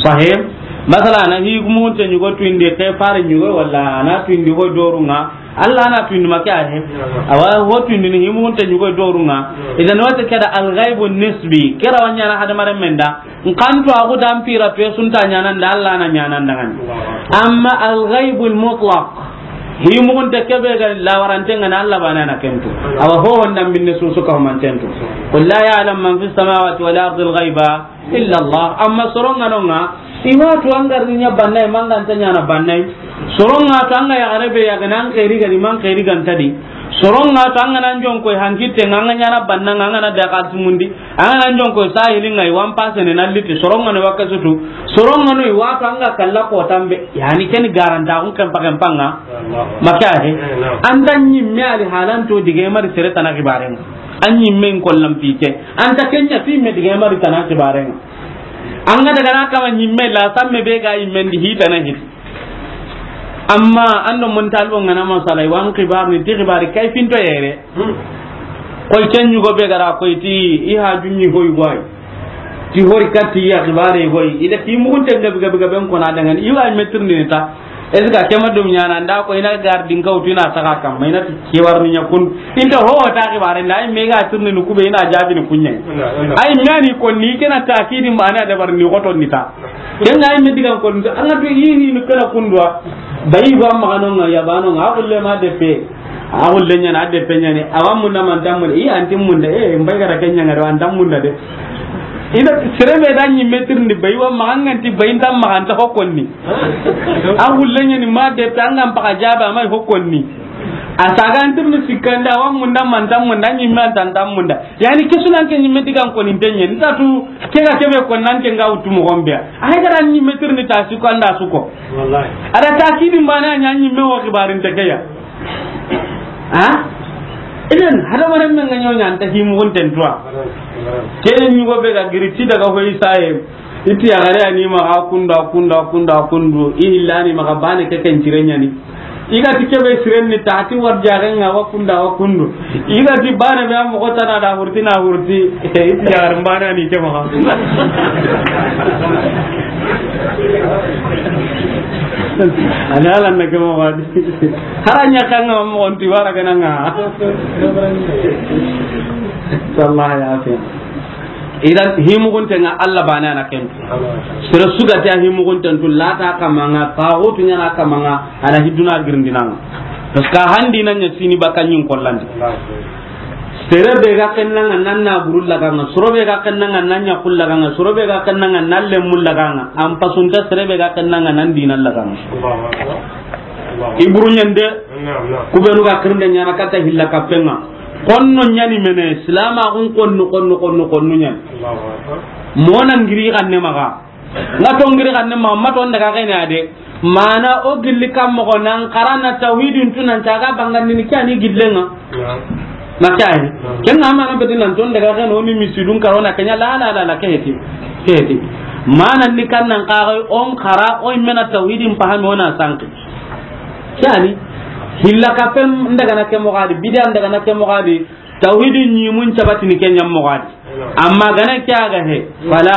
Sahih. Masala na hi mugunto nyugo tu indi ke fare nyugo wala na tu indi ho doru nga. Allah na tu indi make ahe. Awa ho tu indi ni hi mugunto nyugo doru nga. Idan wata kada al-ghaibun nisbi. Kira wanyana hadamaren menda. Nkanto a xudan pira to sunta ɲanan da Allah na ɲanan dangani. Amma al-ghaibul mutlaq, hi mugunte kebe ga lawarante ngana Allah bana na kentu. Awa ho wanda minne susu ka man tentu. Qul la ya'lam man fis samawati wal ardi al-ghaiba illa Allah. Amma soronga nonga, iwa to angar nya bannai, manga anta ɲana bannai. Soronga to anga ya garebe ya ganan khairi gani man khairi gantadi. Soronga to anga nan jonko hankitte nga anga ɲana bannanga anga na daga tumundi. An ga na jonko sahili ngai wan pasene na liti soronga no waka sutu. Soronga no i wa to an ga kalla ko tambe. Yani ken garanta kun kan pakan panga. Maka he. Anta nyimme ali halanto dige mari sere tana kibaren. An nyimme ko lampite. Anta kenya fi me dige mari tana kibaren. An ga daga na kama nyimme la samme be ga yimme ndi hita na hit. Amma ando mun talbo ngana masala wan kibar ni ti kibari kai finto yere. Koy ken yugo be gara koy ti i ha junni hoy goy. Ti hori katti ya kibare goy. Ida ti mugunte gabe gabe gabe ko na dangan. Iwa metir ni ta. Est-ce que kema dum nyana nda ko ina gardin ka utu ina saka kam. Ina ti kiwar ni nyakun. Inta ho ta kibare nda me ga turni nu kube ina jabi ni kunye. Ay mani ko ni kena takidi mana da bar ni goto ni ta. Ken ga me digan ko an ga to yi ni kala kundwa. Bayi ba ma no nga ya ba no nga ko le ma de pe. A xulle ɲana, a deppe ɲani, a wa munda man tan munda, i anti munda, eh, mbay gara ke ɲanga do, an tan munda de. Ida, sere be da ɲi metir ndi bay, wa maxa nganti bay, nta maxa nta hokkonni. A xulle ɲani ma deppe, an gan paxa jaba, may hokkonni. A saga antir ni sikkanda, a wa munda man tan munda, ɲi me an tan tan munda. Yani, kesunan ke ɲi me digan koni ntenye, nta tu, ke ga kebe kon nan ke nga wutu mo gombe. Ay gara ɲi metir ndi ta suko anda suko. Wallahi. Ada takidi mbana ɲa ɲi me wa xibarin te ke ya. Ha? Idan, hadamaren men ga ɲoɲa anta himugunten tuwa. Ke ɲugo be ga giri ti daga hoy saye. Iti ya gare ani maxa kundu, kundu, kundu, kundu. I hillani maxa bane ke ken cire ɲani. I ga ti kebe siren ni tati war jagen nga wa kundu, wa kundu. I ga ti bane be am ko tana da hurti na hurti. Iti ya gare mbane ani ke maxa. Ani ala na ke maxa. Haranya kanga mo on ti wara gananga. Sallallahu alaihi wasallam. Idan himugunte nga Allah bana na ken. Sere sugati a himugunten tu lata kamanga, taxutu ɲana kamanga, ana hiduna girindinanga. Parce que handi na ɲa sini baka ɲin kollandi. Sere be ga kennanga nan na buru laganga, soro be ga kennanga nan ɲa kul laganga, soro be ga kennanga nan lemmu laganga, an pasunta sere be ga kennanga nan dina laganga. I buru ɲende, kubenu ga kirinde ɲana kata hilla kappenga. Konno ɲani mene, silama kun konno, konno, konno, konno ɲani. Mona ngiri kanne maga. Nga to ngiri kanne maga, ma to ndaga kene ade. Mana o gilli kam mo nan karana tawhidin tunan taga bangandini kani gillenga. Maka he. Ken na mana beti nan to ndaga kene o ni misidun karona kenya la, la, la, la, ke heti. Ke heti. Mana ni kan nan kara on kara o mena tawhidin pahami ona sanki. Kani hilla kapen ndaga na ke mo gadi, bidan ndaga na ke mo gadi. Tawhidi ɲimun cabatini ke ɲa moxo di. Amma gana ke a ga he, fala,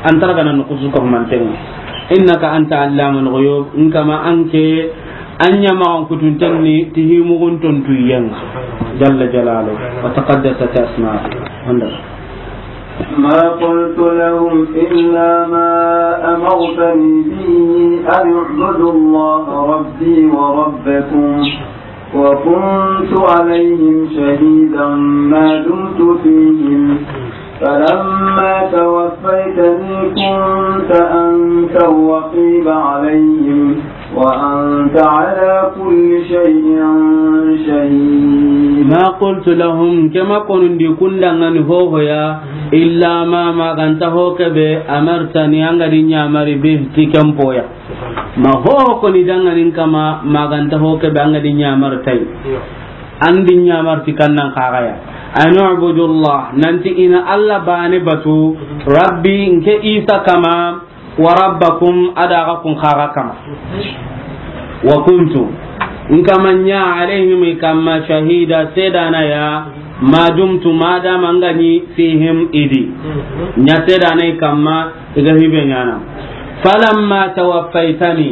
an tara gana nukusu ko mantenga. Innaka anta allamul ghuyub, in kama an ke, an ɲa ma an kutunten ni, ti himugun tontu yenga. Jalla jalalu, wa taqaddasat asma. Wanda. ما قلت لهم إلا ما أمرتني به أن اعبدوا الله ربي وربكم، وكنت عليهم شهيدا ما دمت فيهم، فلما توفيتني كنت أنت الرقيب عليهم، وأنت على كل شيء شهيد. ما قلت لهم, ke ma konundi kun danŋa ni hohoya, إلا ما, ma ga nta ho ke be, أمرتني, an ga di ɲamari, به, ti ken poya. Ma hoho koni danŋa ni in kama, ma ga nta ho ke be, an ga di ɲamari ti a yi. An di ɲamari ti kan nan xaxaya. أن اعبدوا الله, nanti i na Alla bane batu, ربي, nke Isa kama, وربكم, a da xa kun xaxa kama. وكنت, in kama ɲa, عليهم, i kama, شهيدا, sedana ya, ما دمت, ma dama an ga ni, فيهم, i di. Ɲa sedana i kama, i ga hibe ɲana. فلما توفيتني,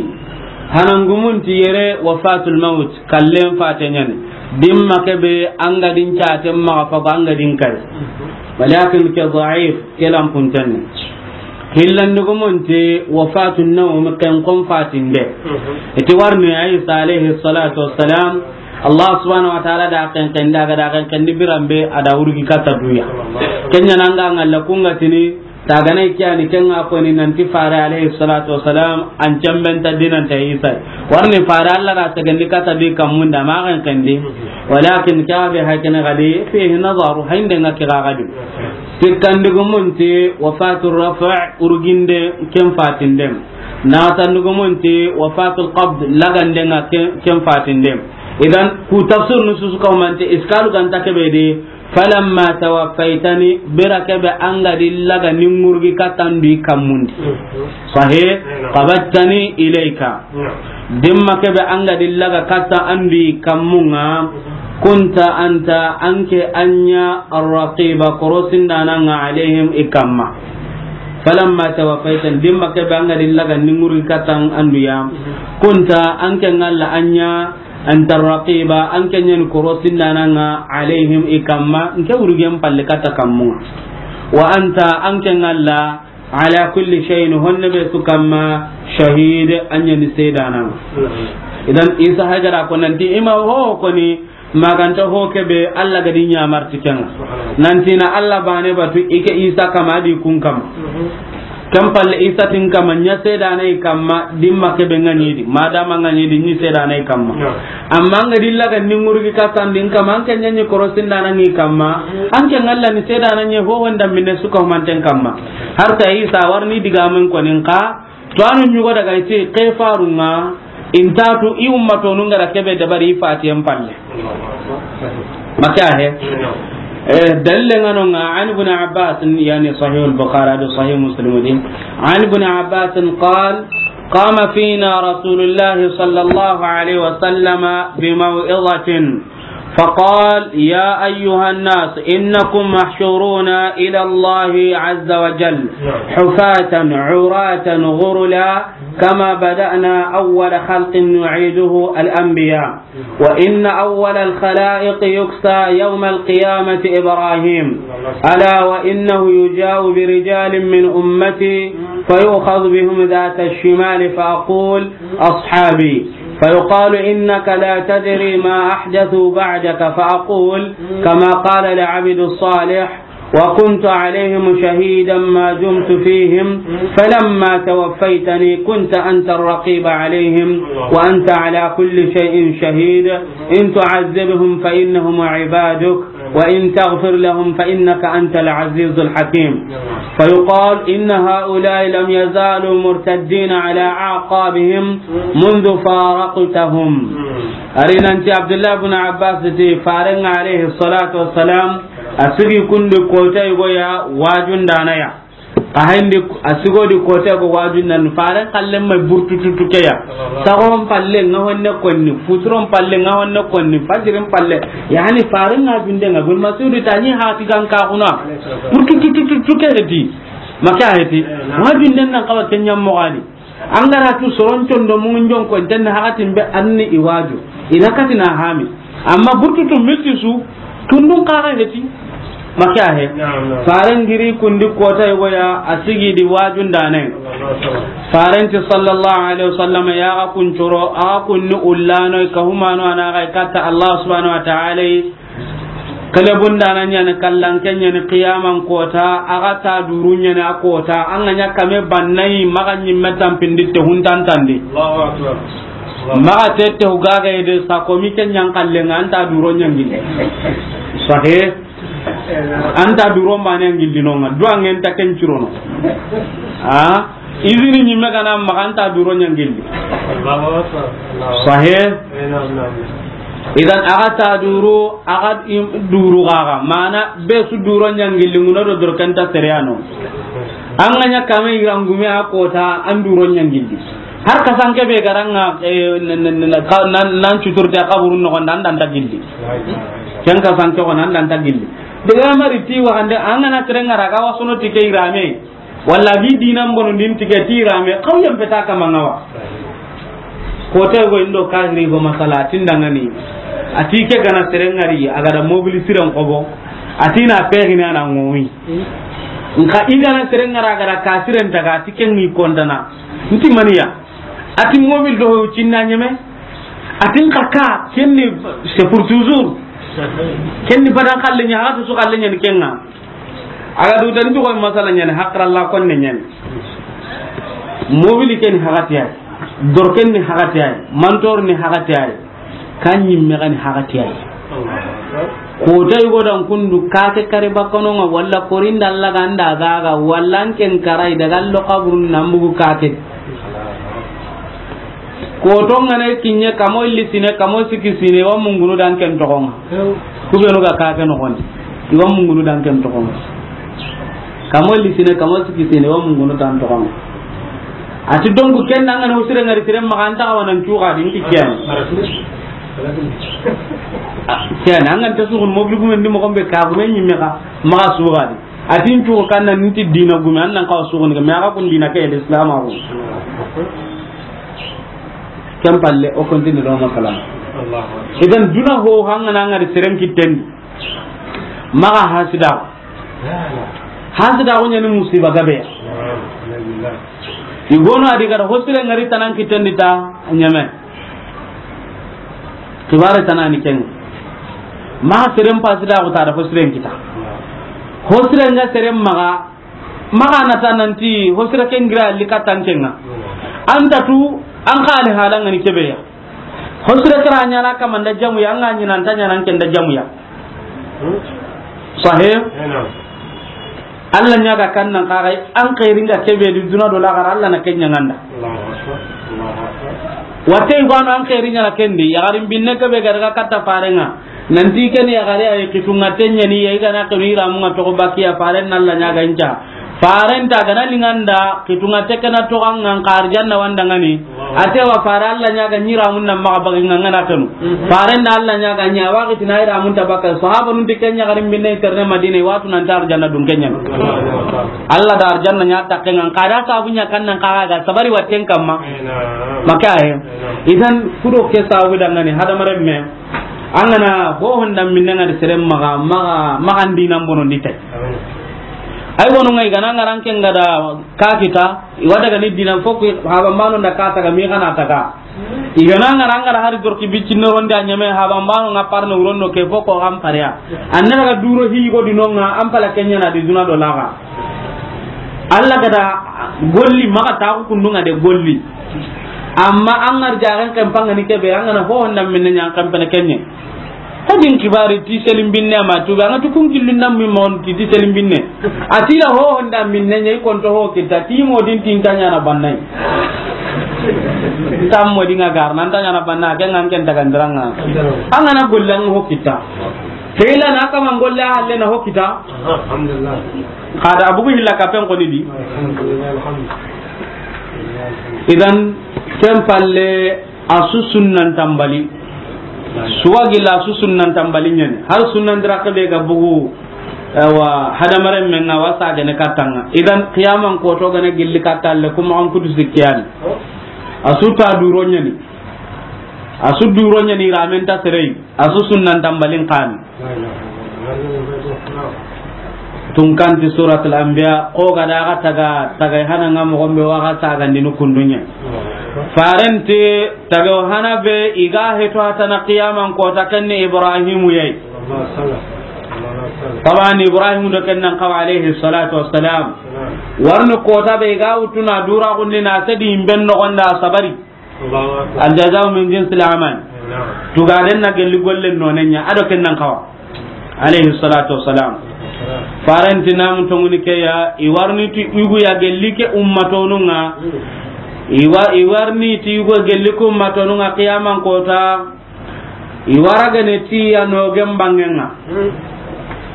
hanangumun ti yere وفاة الموت, kallen fate ɲani. Dimma ke be an ga di n caten maxa fago an ga di n kari. ولكن ke ضعيف, ke lanpunten ni. Hillandugumun ti وفاة النوم, ken kon fatinde. Iti warni Isa alayhi salatu wassalam, Allah subhanahu wa ta'ala da ken kendi, a ga da ken kendi biranbe, a da wurgi katta duya. Ken ɲa na an ga ŋalla kun ga tini, ta gana ke yani ken ŋa koni nanti fare alayhi salatu wassalam, an cemben ta dinan ta Isa. Warni fare Alla da segendi katta di kammun da ma ken kendi. ولكن ke be hakene ga di, فيه نظر, haynden ŋa ke ga di. Sikkandugumun ti وفاة الرفع, urginde ken fatindem. Naxatandugumun ti وفاة القبض, laganden ŋa ken, ken fatindem. Idan, ku tafsir nususu ka humante, iskalu ga nta ke be di, فلما توفيتني, bira ke be an ga di laga ni ŋurgi katta an du i kammun di. Sahih? قبضتني إليك. Dimma ke be an ga di laga katta an du i kammun ŋa, كنت أنت, an ke an ɲa, الرقيب, korosindanan ŋa, عليهم, i kamma. فلما توفيتني, dimma ke be an ga di laga ni ŋurgi katta an du ya, كنت, an ke ŋalla an ɲa, أنت الرقيب, an ke ɲa ni korosindanan ŋa, عليهم, i kamma, nke wurgen palle katta kammun ŋa. وأنت, an ke ŋalla, على كل شيء, honne be su kamma, شهيد, an ɲa ni sedanan ŋa. Idan, Isa Hajara ko nanti, i ma ho koni, ma ga nta ho ke be, Alla ga di ɲamari ti ken ŋa. Nanti na Alla bane batu, i ke Isa kama di kun kama. Ken palle Isa ti n kama, ɲa sedana i kamma, dimma ke be ŋa ɲi di, ma dama ŋa ɲi di, ɲi sedana i kamma. Amma an ga di laga ni ŋurgi katta an du i kamma, an ke ɲa ni korosindanan ŋa i kamma, an ke ŋalla ni sedana ɲa ho honda minne su ka humanten kamma. Har ta Isa warni digamen koni n ka, to anu ɲugo daga i ti ke farun ŋa, i nta tu i ummatonu n ga da ke be dabari i fatiyen palle. Maka he. Eh, dalile ŋa no ŋa, عن ابن عباس, yani Sahih al-Bukhari, ado Sahih Muslim di. عن ابن عباس قال: قام فينا رسول الله صلى الله عليه وسلم بموعظة فقال: يا أيها الناس، إنكم محشورون إلى الله عز وجل حفاة عراة غرلا كما بدأنا أول خلق نعيده، الأنبياء، وإن أول الخلائق يكسى يوم القيامة إبراهيم، ألا وإنه يجاء برجال من أمتي فيؤخذ بهم ذات الشمال فأقول: أصحابي، فيقال: إنك لا تدري ما أحدثوا بعدك، فأقول: كما قال العبد الصالح: وكنت عليهم شهيدا ما دمت فيهم، فلما توفيتني كنت أنت الرقيب عليهم، وأنت على كل شيء شهيد، إن تعذبهم فإنهم عبادك، وإن تغفر لهم فإنك أنت العزيز الحكيم. فيقال: إن هؤلاء لم يزالوا مرتدين على أعقابهم منذ فارقتهم. Ari nanti Abdullah ibn Abbas ti, Farenga alayhi salatu wassalam, a sigi kundi kota yugo ya, wajundana ya. A hayndi, a sigodi kote go wajun nan, faren kallen mai burtututu ke ya. Sagon palle nga honne konni, futuron palle nga honne konni, fajirin palle. Yani faren nga junde nga, Ibn Mas'ud ta ni hati gan ka kuna. Burtutututu ke heti. Maka heti. Wajun den nan kawa kenya mogadi. An ga ra tu soron condo mun jon ko, ten hakatin be anni i waju. Ina katina hami. Amma burtutu misisu, tundun kaga heti. Maka he. Naam, naam. Faren giri kundi kota yogo ya, a sigi di wajun dane. Faren ti sallallahu alaihi wasallam ya ga kuncoro, a ga kunni ullano, ka humano ana ga katta Allah subhanahu wa ta'ala. Kelebun dana ɲani kallanke ɲani qiyaman kota, a ga ta duru ɲani a kota, an ga ɲa kame bannai, maga ɲimme tampindi te huntantandi. Allahu akbar. Maxa tette hu gaga yede sa komi ke ɲan kallenga anta duro ɲangille. Sahe. Anta duro mane ngilli nonga. Duangen ta ken curono. A? Izini ɲimme gana maxa anta duro ɲangilli. Sahe. Idan aga ta duro, aga im-, duru gaga. Mana be su duro ɲangilli nguna do dor kenta seriano. An ga ɲa kame irangume a kota an duro ɲangilli. Har kasanke be garanga, eh, n-, n-, n-, ka-, nan, nan cuturte kaburun noxon da, an dan ta gilli. Ken kasanke ko nan dan ta gilli. Daga mari ti waxande, an ga na sere ngara ga wasono ti ke irame. Walla gi dinan bono din ti ke ti irame, xaw yam peta kama ngawa. Ko te go indo kahiri go masala, tindangani. Ati ke gana sere ngari, a ga da mobili siren xobo. Ati na pegini ana ngomi. Nka i gana sere ngara, a ga da ka siren taga, ati ke ngi kontana. Nti maniya. Ati mobil do cinna ɲeme. Ati nka ka, kenni, c'est pour toujours. Kenni badan xalle ɲa, hatu su xalle ɲa ni kenga. Aga du tan to ko masala ɲa ni, hakra la konne ɲa ni. Mobil ken hagati ay. Dor ken ni hagati ay. Mantor ni hagati ay. Kan ɲimme gani hagati ay. Ko tay go dan kundu kake kare bakono nga walla korinda Allah ganda gaga walla an ken karai daga lo kaburun nambugu kake. Ko to ngane kinye kamo illi sine kamo siki sine wa mungunu dan ken tokonga. Kubenu ga kake no kon. Wa mungunu dan ken tokonga. Kamo lisine, kamo sikisine, wa mungunu tan toxon. Ati donc ken an ga na hosire ngari sire maxa an ta xa wa nan cuxa di nti ken. Ken an ga nta suxun mobili gumen di moxon be ka gumen ɲimme xa maxa suxa di. Ati n cuxu kan nan nti dina gume an nan xa suxun ga me axa kun dina ke Islam a ko. Ken palle o kontini do masala. Idan duna ho hanga na ngari seren kitten. Maxa hasida. Hasida ko ɲani musiba gabe ya. I gono a di ga da hosire ngari tanan kitten di ta ɲeme. Kibare tanani ken. Maxa seren pasida ko ta da hosiren kita. Hosire nga seren maxa, maxa na ta nanti hosire ken gira li katan kenga. Anta tu an xali halanga ni kebe ya. Hosire tara ɲana kamanda jamu ya, an ga ɲina anta ɲana ken da jamu ya. Sahih? Eh, naam. Allah ɲaga kan nan kaga an xairin ga kebe di duna do laxara Allah na ken ɲanganda. Allahu akbar. Allahu akbar. Wate i gano an xairin ɲana ken di, yaxarin binne kebe ga daga katta farenga. Nanti ken yaxare ay kitunga tenyani ya i gana kenu iramunga toxo bakiya faren na Allah ɲaga inca. Faren ta gana linganda kitunga tekena toxo an ngan xar janna wandangani. Ate wa fare Allah ɲaga ɲi ramun nan maxa bagi nga ngana kanu. Mhm. Faren da Allah ɲaga ɲa waxi tina i ramun ta baka. Sahaba nun ti ken ɲa garin binne terne Madina, watu nan ta arjanna dun ken ɲa. Allah da arjanna ɲa ta ken ngan kada sabu ɲa kan nan kaga ga sabari watten kamma. Maka he. Idan kudo ke sabu dangani hadamaren me. An gana ho honda minne ngadi seren maxa, maxa, maxa ndi nan bono ndi tay. Ay bono ngai gana ngaran ken ngada ka kita. I wa daga ni dinan fo ku haba mano nda ka taga mi gana taga. I gana ngara ngara hari dorki bicci no ronde a ɲeme haba mano nga parno urondo ke fo ko am paria. Anna daga duro hi go di nonga am pala kenya na di duna do laga. Allah gada golli maga ta ku kundunga de golli. Amma an ngar jagan kan panga ni kebe an gana ho honda minne ɲan kan pene kenye. Hadin kibari ti selim binne ma tu, an ga tu kun gillu ndam mi mon ti, ti selim binne. Atila ho honda minne ɲai kon to ho kita, ti mo din tin tanya na bannai. Tam mo dinga gar, nan tanya na banna, ken ngan ken tagandiranga. An gana gollan ho kita. Ke illa na kama ngolle halle na hokita. Alhamdulillah. Kada abugu hilla ka pen koni di. Alhamdulillah, alhamdulillah. Idan, ken palle a su sunnan tambali. Suwagi la su sunnan tambali ɲani. Har sunnan dira ke be ga bugu, ewa, hadamaren men na wasa gane katanga. Idan, qiyaman koto gane gilli katalle kuma an kudu sikkiyani. A su ta duro ɲani. A su duro ɲani ramen ta serei. A su sunnan tambalin kani. Tunkanti Suratul Anbiya, ko ga da ga taga, taga hana nga mo gombe wa ga saga ndinu kundunya. Farenti taga hana be i ga heto hatana qiyaman kota ken ni Ibrahimu yai. Taban Ibrahimu do ken nan kawa alayhi salatu wassalam. Warni kota be i ga wutuna dura gunni na sedi imben no gonda sabari. Allahu akbar. Al jaza'u min jinsil amal. Naam. Tugaren na gelli golle no ne ɲa, a do ken nan kawa. Alayhi salatu wassalam. Farenti nam tonguni ke ya, i warni ti yugu ya gelli ke ummatonunga. I wa-, i warni ti yugu gelli ke ummatonunga qiyaman kota. I wara gane ti ya no gem bangenga.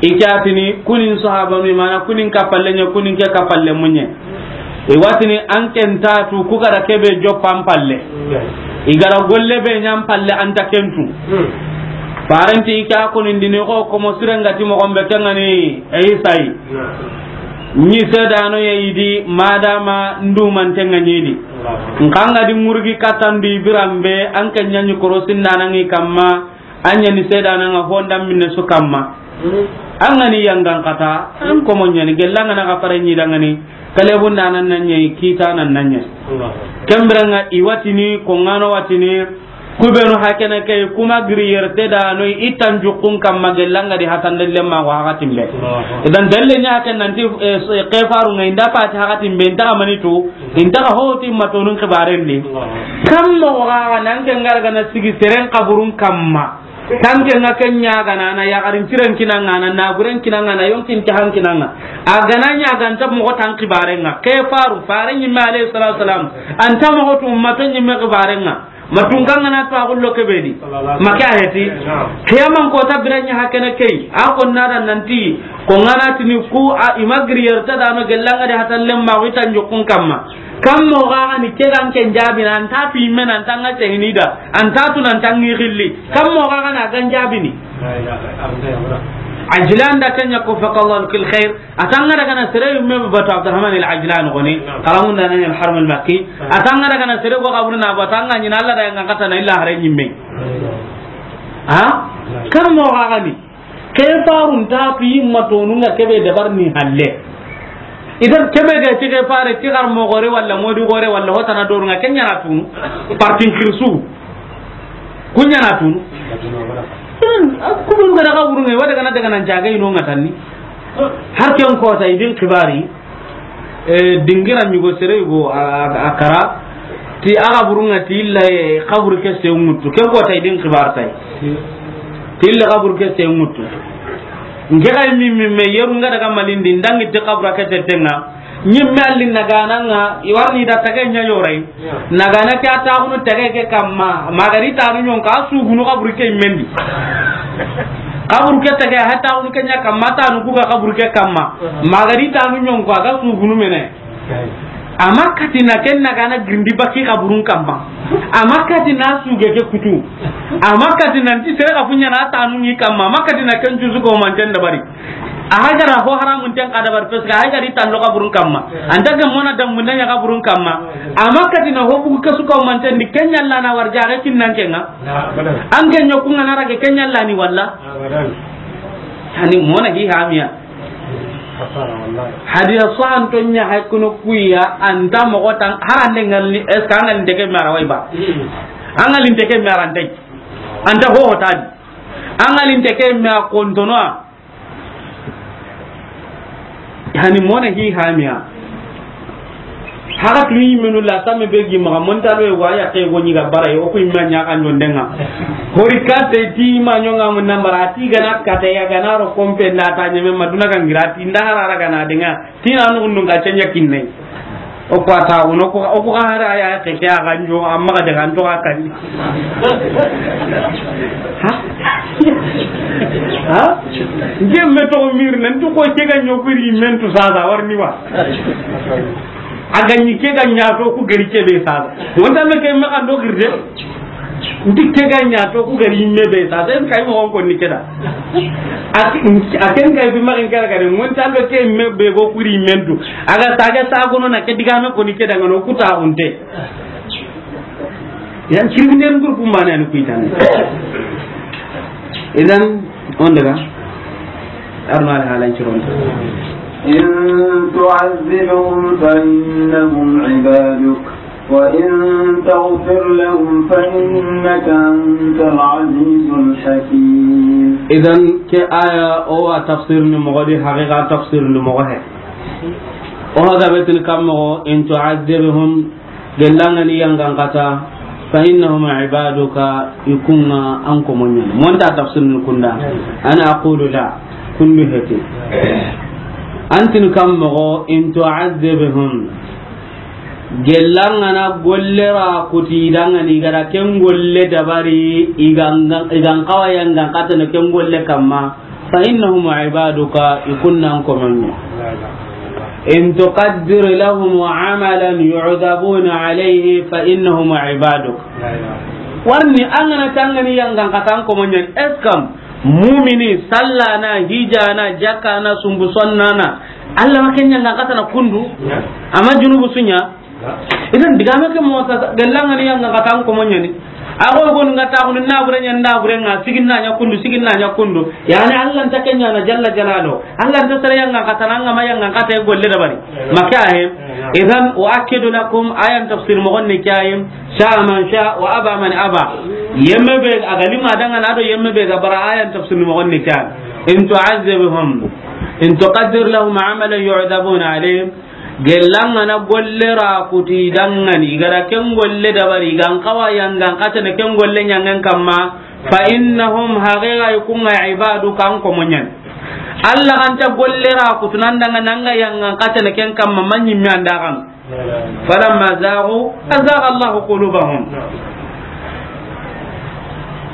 I ke a tini kunin sahabanu, i mana kunin kapalle ɲa, kunin ke kapalle muɲe. I wa tini an ken ta tu ku ga da ke be joppa an palle. I ga da golle be ɲa an palle an ta ken tu. Farenti i ke a koni ndini ko, ko mo sirenga ti mo gombe kengani Isa yi. Ni sedano ye idi madama ndumantenga ɲidi. Nkanga di murgi katandi birambe an ke ɲani korosinda nangi kamma. An ɲani seedana nga honda minne su kamma. An ga ni yangan kata, an komo ɲani, gellanga na ka fare ɲi dangani, kalebun da nan nan ɲi, kita nan nan ɲi. Kembere nga i wa tini, ko ngano wa tini, kubenu hakene ke, kuma giri yerte da no i tan jukkun kamma gellanga di hatan delle ma wa hakatin be. Idan dalle ɲa ken nanti, eh, kefaru nga inda pati hakatin be, inta mani to, inta ho ti matonun kibaren ni. Kamma wa nan ke ngar ga na sigi seren kaburun kamma. Tanke nga ken ɲa gana na yagarin tiren kinanga na naguren kinanga na yonkin tahan kinanga. A gana ɲa ganta mogo tan kibarenga. Ke faru, fare ɲimme alayhi salatu wasalam. Anta mogo tu ummato ɲimme kibarenga. Matunganga na to agullo kebedi. Maka heti. Kiyaman kota biranya hakene kei. A ko nada nanti. Ko ngana tini ku a imagri yerta dano gellanga de hatan lemma witan jokun kamma. Kammo ga ni ke gan ken jabi na anta fi men anta nga tehnida anta tu nan tangi gilli. Kammo ga na gan jabi ni. Ajlan da kenya ko faqallahu kil khair. Atanga daga na sere yumme batu Abdurrahman al Ajlan goni. Karamun da nan al Haram al Makki. Atanga daga na sere go kabur na batanga ni Allah da nga kata na illa hare nyimme. Ha? Kammo ga ni. Ke farun ta tu yimma tonu nga kebe dabar ni halle. Idan kebe ga ti ke fare ti gar mo gore walla modi gore walla hotana doru nga kenya na tunu. Partin kirsu. Kunya na tunu. Idan, a, kubenu ga daga wurunga, wa daga na daga nan jaga ino nga tanni. Har ken ko ta idin kibari. E, dingira mi go sere go a, a, a kara. Ti aga burunga ti illa, e, kabur ke se mutu. Ken ko ta idin kibar tay. Ti illa kabur ke se mutu. Nge ga mi, mi, me yeru nga daga malindi ndangi ti kabura ke te tenga. Nyimme alli nagana nga, i warni da tage nya yorai. Nagana ke a taxunu tage ke kamma, magari tanu ɲonka, a sugunu kaburu ke mendi. Kaburu ke tage, a taxunu ke ɲa kamma, tanu kuga kaburu ke kamma. Magari tanu ɲonka, a ga sugunu mene. Ama katina ken nagana girindi baki kaburun kamma. Ama katina suge ke kutu. Ama katina nti sere ka funya na tanu ni kamma. Ama katina ken jusu ko manten da bari. A hagara ho haramun ten kada bar peska hagari tan lo kaburun kamma. Anta ga mona dan mun nya kaburun kamma. Ama katina ho bugu kesu ko manten di kenya la na warja ga kinnan kenga. An ke nyoku ngana rage kenya la ni walla. Ani mona hi hamiya. Hadiya sahan to nya hay kuno kuya anta mo tan harande ngalni eska ngalni teke mara wai ba. An ngalni teke mara ndai. Anta ho hotadi. An ngalni teke mara kontono. Hani mona hi hamiya. Haga tuni menu la samme be gi maga monta do wa ya ke go ni ga bara yo ku imma nya kan jondenga. Hori kate ti ma nyonga mun nambara ti gana kate ya gana ro kompe na ta nyeme maduna kan girati nda harara gana denga. Tina nugundun ka cenya kinnai. O ko ata uno ko o ko hara ya ke ke a ganjo amma ga daga nto ka kan. Ha? Ha? Nke me toxo miri, nan tu ko ke ga ɲo kuri mentu sasa, wari ni wa. A ga ɲi ke ga ɲa to ku gari ke be sasa. Wonta me ke me kan do girde. Nti ke ga ɲa to ku gari me be sasa, en kay mo ko ni ke da. A ke-, a ken kay bi ma en kala kare, wonta me ke me be go kuri mentu. A ga saga sagono na ke diga me ko ni ke da ngano ku ta unte. Idan, criminel groupe mane ani kuitane. Idan, on daga, arno al halan ciron. إن تعذبهم فإنهم عبادك وإن تغفر لهم فإنك أنت العزيز الحكيم. Idan, ke aya o wa tafsir ni moxo di, haqiqa tafsir ni moxo he. O haga betin kam moxo, in tu'adhibhum, gellangani yangan kata, fa innahum ibaduka, ikunga an komo ɲani. Monta tafsir ni kunda. Ana aqulu la, kundu heti. Antin kam moxo, in tu'adhibhum, gellangana golle ra kuti dangani, gara ken golle dabari, igan, igan kawa yangan kata no ken golle kamma, fa innahum ibaduka, ikunnan komo ɲa. In tuqaddir lahum amalan yu'dhabuna alayhi fa innahum ibaduk. Warni angana tangani yangan kata an komo ɲani. Eskam mumini sallana, hijana, jakana, sumbu sonnana, Allah ma ken yangan kata na kundu. Ama junubu sunya. Idan digame ke mo sa gellangani yangan kata an komo ɲani. Ago gon ga ta kunu na bure ɲan da bure nga sigin na ɲa kundu, sigin na ɲa kundu. Yani Allah nta ken ɲana jalla jalalu. Allah nta sere yangan kata na nga ma yangan kata e golle dabari. Maka he. Idan wa akidu lakum ayan tafsir mo gonne kayim. Sha man sha wa aba man aba. Yemme be a ga lima dangana do yemme be ga bara ayan tafsir mo gonne kayim. In tu'adhibhum, in tuqaddir lahum amalan yu'dhabuna alayhi. Gellangana golle ra kuti dangani, gara ken golle dabari, gan kawa yangan kata ne ken golle ɲangen kamma, fa innahum haqiqa ikunga ibaduka an komo ɲani. Allah ganta golle ra kutu nan dangana nga yangan kata ne ken kamma, manyi mi andagan. Falamma zaghu, azagha Allahu qulubahum.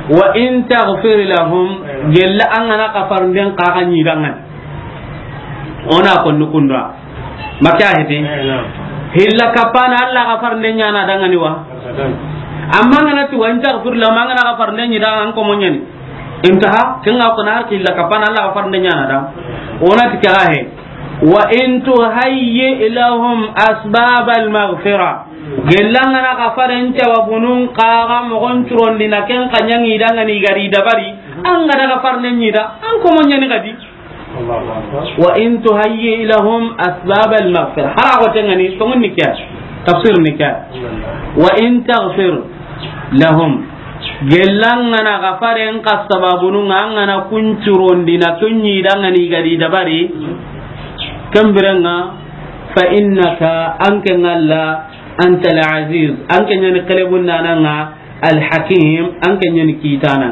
Wa in taghfir lahum, gella angana kafarnden kaga ɲi dangani. Ona ko nukunda. Maka hete. Hilla kapana Allah kafarnden ɲana dangani wa. Amma ngana ti wa in taghfir lahum, angana kafarnden ɲi dangan komo ɲani. Intaha, kenga ko na har hilla kapana Allah kafarnden ɲana da. Ona ti kaga he. Wa in tuhayyi lahum asbabal maghfira. Gellangana kafaren cawabunun kaga mogon curondina ken kanyangi dangani gari dabari. Angana kafarne ɲida, an komo ɲani kadi. Wa in tuhayyi lahum asbabal maghfira. Hara ko tengani, tongun ni kya? Tafsir ni kya? Wa in taghfir lahum. Gellangana kafaren ka sababunun angana kuncurondina kunyi dangani gari dabari. Kembirenga fa innaka anke ngalla antal aziz. Anke nyani kelebun nananga al hakim. Anke nyani kitana.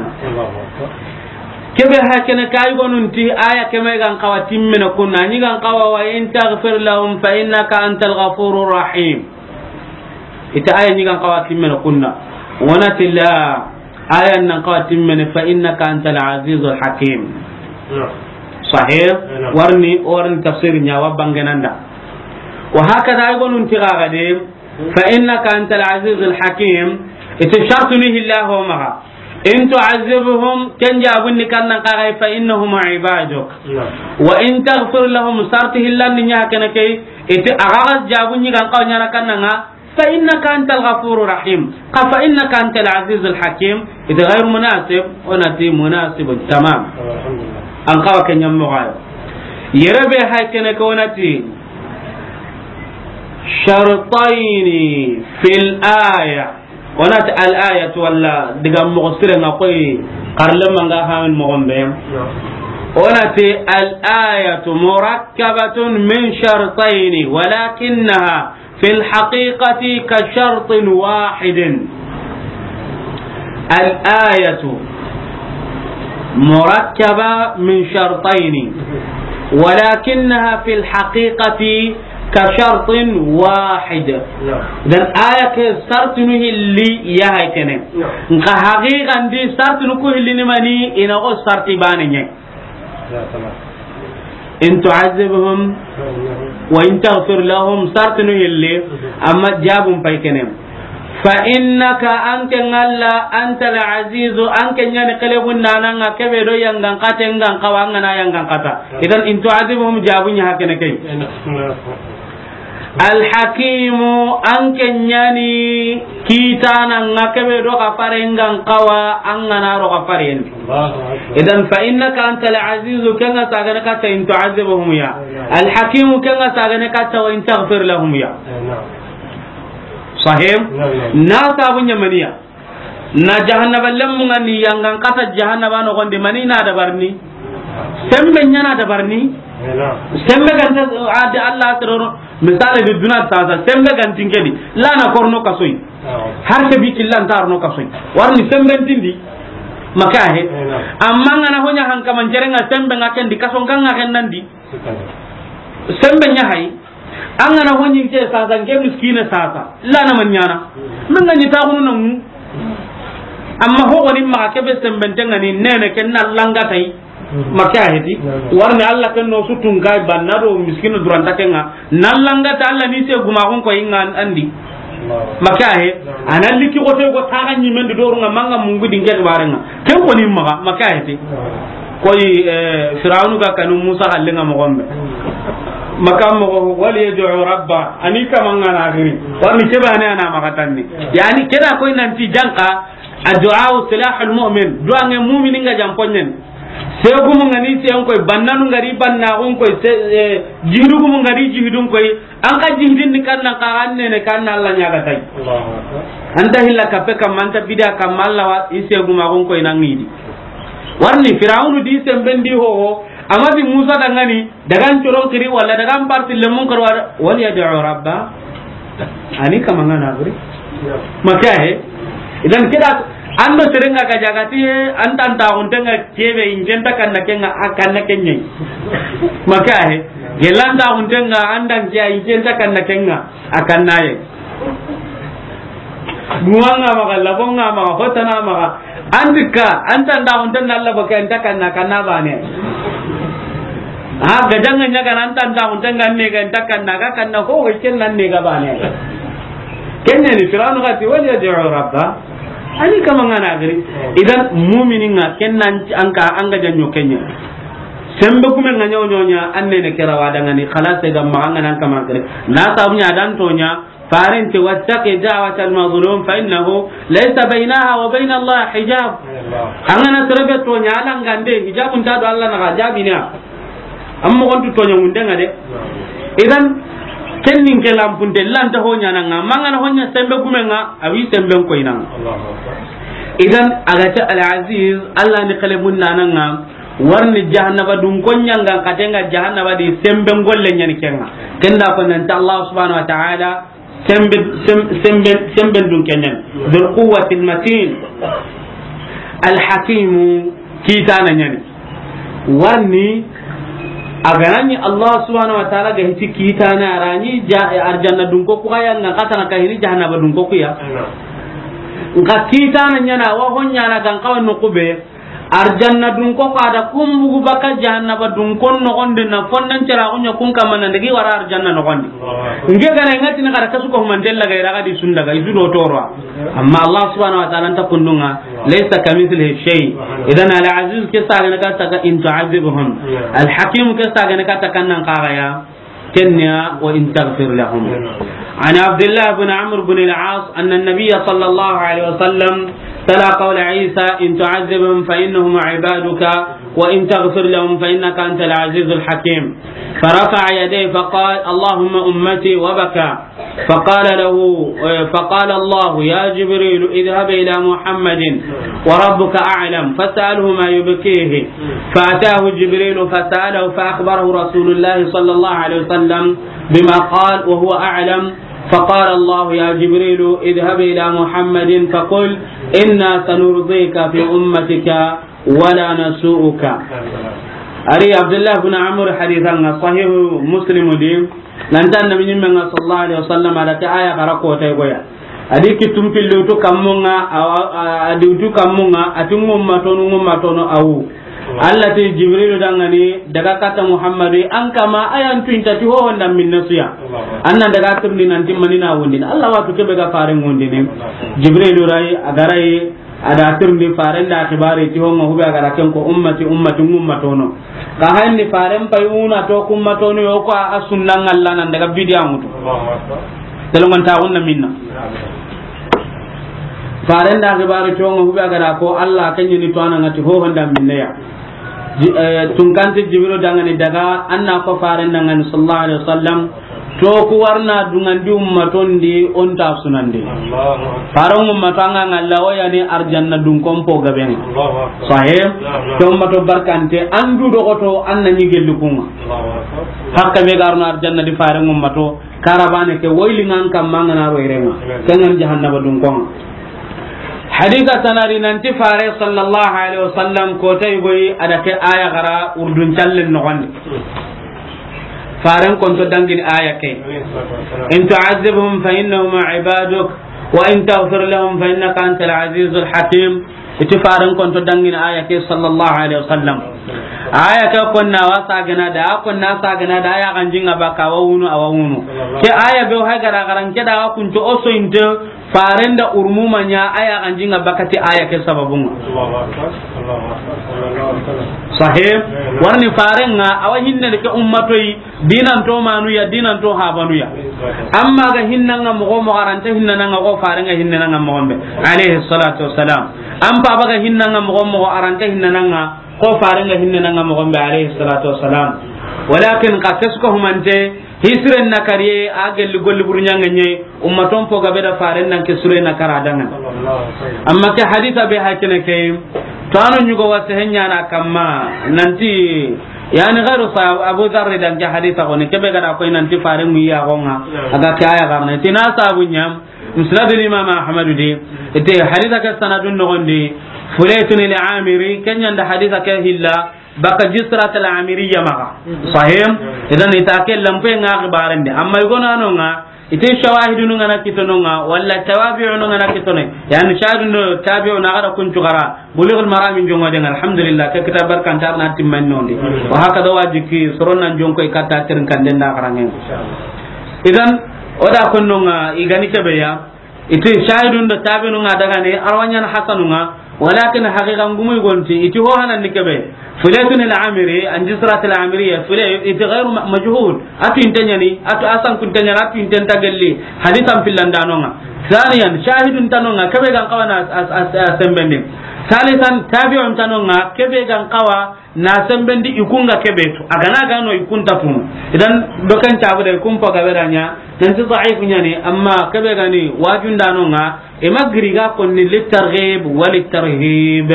Kebe hakene kay gonunti aya keme gan kawa timmene kunna. Ni gan kawa wa in taghfir lahum fa innaka antal ghafurur rahim. Ita aya ni gan kawa timmene kunna. Wana tilla aya nan kawa timmene fa innaka antal azizul hakim. Sahih. Warni, warni tafsir nya wa bangenanda. Wa hakada ay gonunti gaga de. Fa innaka antal azizul hakim. Ita shartu ni hillahu maga. In tu'azzibuhum, ken jabun ni kannan kaga fa innahum ibaduk. Wa in taghfir lahum, sarti hillan ni nya kana kay. Ita agaga jabun ni kan kaw nyana kannanga. Fa innaka antal ghafurur rahim. Ka fa innaka antal azizul hakim. Ita ghayr munasib, onati munasibun tamam. An kawa ken nyammo gayo. Yere be hay kene ko onati shartayni fil aya. Onati al ayatu walla diga mogo sire nga koy karle manga hamin mogon be. Onati al ayatu murakkabatun min shartayni walakinnaha fil haqiqati ka shartin wahidin. Al ayatu murakkaba min shartayni walakinnaha fil haqiqati كشرط واحد. Naam. Dan aya ke sartinu hilli ya hay kene. Naam. Nka haqiqan di sartinu ku hilli ni mani, i na ko sarti baane ɲa. Naam, tamam. إن تعذبهم فإنهم وإن تغفر لهم, sartinu hilli, mhm, amma jabun pay kene. فإنك, an ke Alla, أنت العزيز, an ke ɲa ni xelebun naananga, ke be do yangan xaten ga n xawa, an ga na yangan xata. Idan, إن تعذبهم jabu ɲa hakene kay. الحكيم, an ke ɲa ni kiitananga, ke be do xafaren ga n xawa, an ga na ro xafaren. Allahu akbar. Idan, فإنك أنت العزيز, ken ga sagane katta إن تعذبهم ya. Naam. الحكيم, ken ga sagane katta وإن تغفر لهم ya. Eh, naam. Sahih? Naam, naam. Na sabu ɲa mani ya. Na jahannaba lemmun ga ni yangan xata jahannaba noxon di, mani na dabarini. Sembe ɲa na dabarini. Eh, naam. Sembe ga nta, a di Alla siroro. Misale di duna sasa, sembe ga nta n ke di. La na korno kasoyi. Naam. Har ke bi killa nta arno kasoyi. Warni sembe ntindi. Maka he. Eh, naam. Amma n ga na ho ɲa hankaman jere nga sembe nga ken di, kason kan nga ken nan di. Sikkandi. Sembe ɲa hay. An ga na ho ɲi n ke sasa, n ke miskine sasa. La na man ɲaana. Min ga ɲi taxunu na mu. Amma ho woni ma ke be sembe nte nga ni nene ken na langa tay. Maka he ti. Warni Alla ken no su tun kay banna do miskine duranta ken nga. Na langa ta Alla ni se guma gon ko inga andi. Maka he. Ana liki ko te ko taga ɲi men do ru nga manga mungu di n ke bare nga. Ken ko ni ma maka he ti. Koy, eh, Firawunu ga kanu Musa xallenga moxo be. Maka moxo, وليدع ربه, a ni kama nga na xiri. Warni ke bane a na maxa tanni. Yani ke da koy nanti janka, الدعاء سلاح المؤمن. Duwange mumini nga jamponyen. Segumu nga ni sen koy, bannanu nga ri bannaxun koy, se, eh, jihidugumu nga ri jihidun koy. An ka jihidin ni kannan ka an nene kan Alla ɲaga tay. Allahu akbar. Anta hilla kape kam, anta bida kam, Alla wa i segumaxun koy na ngidi. Warni Firawunu di sembendi ho ho, amma bi Musa dangani, dagan coron kiri wala dagan parti lemun karwa, وليدع ربه. A ni kama nga na buri. Maka he. Idan ke da an do serenga ga jagati, an tan ta huntenga kebe injenta kanna kenga, a kanna kenye. Maka he. Gelanta huntenga andan kiya injenta kanna kenga, a kanna ye. Guwanga maxa, labonga maxa, hotana maxa. An dikka, an tan da hunten na Alla baka, an ta kanna, kanna bane. Ha, gajanga ɲa ga nan tan da hunten ga ne ga an ta kanna, ga kanna ho, ho ken nan ne ga bane. Ken ne ni Firawunu ga ti, وليدع ربه. A ni kama nga na giri. Idan mumini nga ken nan an ka, an ga janyo kenya. Sembe gume nga ɲaw ɲaw ɲa, an nene kera wa dangani, khalas ga ma nga nan kama giri. Na sabu ɲa dan to ɲa, Farente, واتق دعوة المظلوم فإنه ليس بينها وبين الله حجاب. An ga na sere be toɲa, Alla ngande hijabun ta do Alla na ga jabina. Amma gontu toɲa munde nga de. Idan, ken nin ke lampunte, lanta ho ɲaana nga, ma nga na ho ɲa sembe gume nga, a wi semben koyna nga. Idan, a ga ta Al-Aziz, Alla ni xelebun naana nga, warni jahannaba dun ko ɲanga, katenga jahannaba di semben golle ɲani kenga. Kenda ko nanta Allah subhanahu wa ta'ala, Sembe, sem-, sembe, sembe dun kenen. Dhul quwwatil matin. Al hakimu, kitana ɲani. Warni, a ga na ɲi Allah subhanahu wa ta'ala ga hiti kitana, a ra ɲi ja-, arjanna dun ko ku ya nga, katana ka hini jahannaba dun ko ku ya. Nka kitana ɲana, wa ho ɲana gan kawa no kube. Arjanna dun ko ka da kun bugu baka jahannaba dun kon noxondi na fonnan cara kunya kun kamana ndegi wara arjanna noxondi. Nge gana ngati na kada kasu ko humantella ga iraga di sunda ga isu do toro. Amma Allah subhanahu wa ta'ala nta kundunga, laysa kamithlihi shay. Idan Al Aziz ke sagana ka taka in tu'adhibhum. Al Hakim ke sagana ka taka nan kaga ya. Kenya, وإن تغفر لهم. عن عبد الله بن عمرو بن العاص أن النبي صلى الله عليه وسلم تلا قول عيسى: إن تعذبهم فإنهم عبادك، وإن تغفر لهم فإنك أنت العزيز الحكيم. فرفع يديه فقال: اللهم أمتي، وبكى. فقال له، فقال الله: يا جبريل، اذهب إلى محمد وربك أعلم فاسأله ما يبكيه. فأتاه جبريل فسأله فأخبره رسول الله صلى الله عليه وسلم بما قال وهو أعلم. فقال الله: يا جبريل، اذهب إلى محمد فقل: إنا سنرضيك في أمتك ولا نسوءك. Ari Abdullah bin Amr hadithan nga Sahih Muslim di. Nan ti Annabi ɲimmen ŋa sallallahu alaihi wasallam, a da ke aya xara kota i goya. A di kittun pilli wutu kammun ŋa, a, a, a di wutu kammun ŋa, a ti ŋummatonu, ŋummatonu awu. Allah ti Jibrilu dangani, daga kata Muhammadu, an kama ayan tuinta ti hohon da minne suya. An nan daga tirni nan ti mani na wundini. Allah watu kebe ga faren wundini. Jibrilu rai, a ga rai, a da tirni faren da xibari ti honga hube a ga ra ken ko ummati, ummati, ummatono. Ka hanni faren payuna to kummatonu yo ko a sunnan Allah nan daga bidiya mutu. Telongon ta wonna minna. Faren da xibari ti honga hube a ga ra ko Allah kenyini to anangati hohon da minne ya. Ji-, eh, tunkanti Jibrilu dangani daga, an na ko faren dangani sallallahu alaihi wasallam, to ku warna dungandi ummaton di, on ta sunandi. Faren ummato anga ngalla o yani arjanna dun kompo gaben. Sahih. To ummato barkante, an du dogoto, an na ni gelli kunga. Hakka be garno arjanna di faren ummato, karabane ke woyli ngan kamma ngana ro irenga. Kengan jahannaba dun konga. Hadisa tanari nanti fare sallallahu alaihi wasallam ko tay goyi a da ke aya xara urdun callen noxondi. Faren konto dangini aya ke. In tu'adhibhum fa innahum ibaduk wa in taghfir lahum fa innaka antal azizul hakim. Iti faren konto dangini aya ke sallallahu alaihi wasallam. Aya ke konna wa sagana da, a konna sagana da, aya ganjinga baka wa wunu, a wa wunu. Ke aya be hay gara garan ke da wa kunto oso inte. Faren da urmuma ɲa aya ganjinga bakati aya ke sababunga. Sahih. Warni faren ŋa awa hinne ke ummatoi, dinan to manu ya, dinan to habanu ya. Amma ga hinnanga mogo mogo aranta hinnanga ko faren ŋa hinnanga mogo be. Alaihi salatu wassalam. Am pa baga hinnanga mogo mogo aranta hinnanga ko faren ŋa hinnanga mogo be. Alaihi salatu wassalam. Walakin ka kesko humante, hisiren na kariye, a gelli golli burɲanga ɲe, ummaton po gabe da faren nan ke sure na kara dangan. Amma ke hadisa be hakene ke, to anu ɲugo wase henyana kamma, nanti, yani gairu sa Abu Dharr dan ke hadisa ko ne, kebe gada ko nanti faren mu ya gonga, aga ke aya garna. Tina sabu ɲam, Musnad Imam Ahmad di, ite hadisa ke sanadun nogondi, Fulaytun al-Amiri, kenyanda hadisa ke hilla, baka Jisrat al-Amiriya maga. Sahih. Idan ita ke lampe nga xibarende. Amma igonano nga, ite shawahidunu nga na kitono nga, wala tawabi'unu nga na kitono. Yani shahidun do tabi'u na gara kuncu gara. Bulughul Maram jongo den, alhamdulillah, ke kitab barkantar na timman nondi. Wa hakada wajiki, sorona jonko ikata tirin kanden da garangen. Idan, oda konno nga, igani kebe ya, Iti shahidun do tabi'un nga daga ne, arwanyana hasanu nga, walakin haqiqa ngumu gonti, iti ho hanan ni kebe. Fulaytun al-Amiri, an Jisrat al-Amiriya, Fulay-, iti ghairu ma-, majhul. Atu intanyani, atu asan kuntanyani, atu inten tagelli. Hadisan pillandano nga. Thaniyan, shahidun tano nga, kebe gan kawa na as-, as-, as-, as-, sembendi. Thalithan, tabi'un tano nga, kebe gan kawa na sembendi ikunga kebe tu. Agana gano ikunta tunu. Idan dokan cabu da ikun pa gabe da nya, nanti da'if nya ni, amma kebe gani wajundano nga, ima giriga konni litarghib wa litarhib.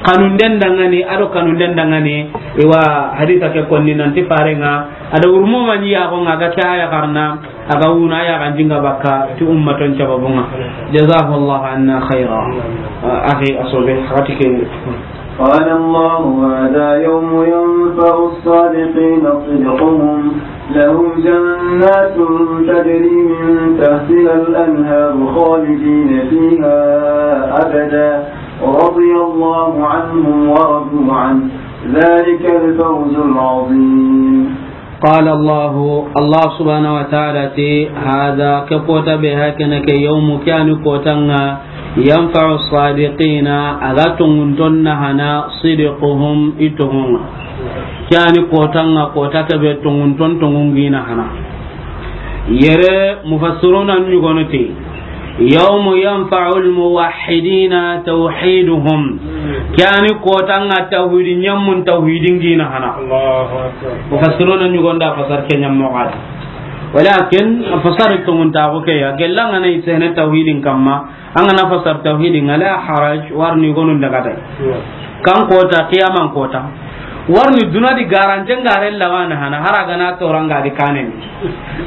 Kanunden dangani, ado kanunden dangani, iwa hadisa ke konni nanti fare nga, ada urmu mani ya ko nga ga kaya karna, aga wuna ya ganjinga bakka, ti ummaton cababunga. Jazakallahu anna khaira. Ah, akhi asobe, hati ke. قال الله: هذا يوم ينفع الصادقين صدقهم، لهم جنات تجري من تحتها الأنهار خالدين فيها أبدا، رضي الله عنهم ورضوا عنه، ذلك الفوز العظيم. قال الله، الله سبحانه وتعالى تي: هذا، ke kota be hakene ke, يوم، ke yani kota nga, ينفع الصادقين، aga tongunton nahana, صدقهم، i tongunga. Ke yani kota nga, kota ke be tongunton tongungi nahana. Yere mufassiruna nyugono ti, يوم ينفع الموحدين توحيدهم. Ke yani kota nga tawhidi ɲammun tawhidin gina hana. Allahu Akbar. Mufassiruna ɲugonda fasar ke ɲammo gadi. Walakin fasar tongunta ko ke ya, gellanga na isene tawhidin kamma, angana fasar tawhidin, la haraj, warni gonun daga tay. Kan kota, qiyaman kota. Warni duna di garanten gare lawana hana, hara gana toranga di kanen.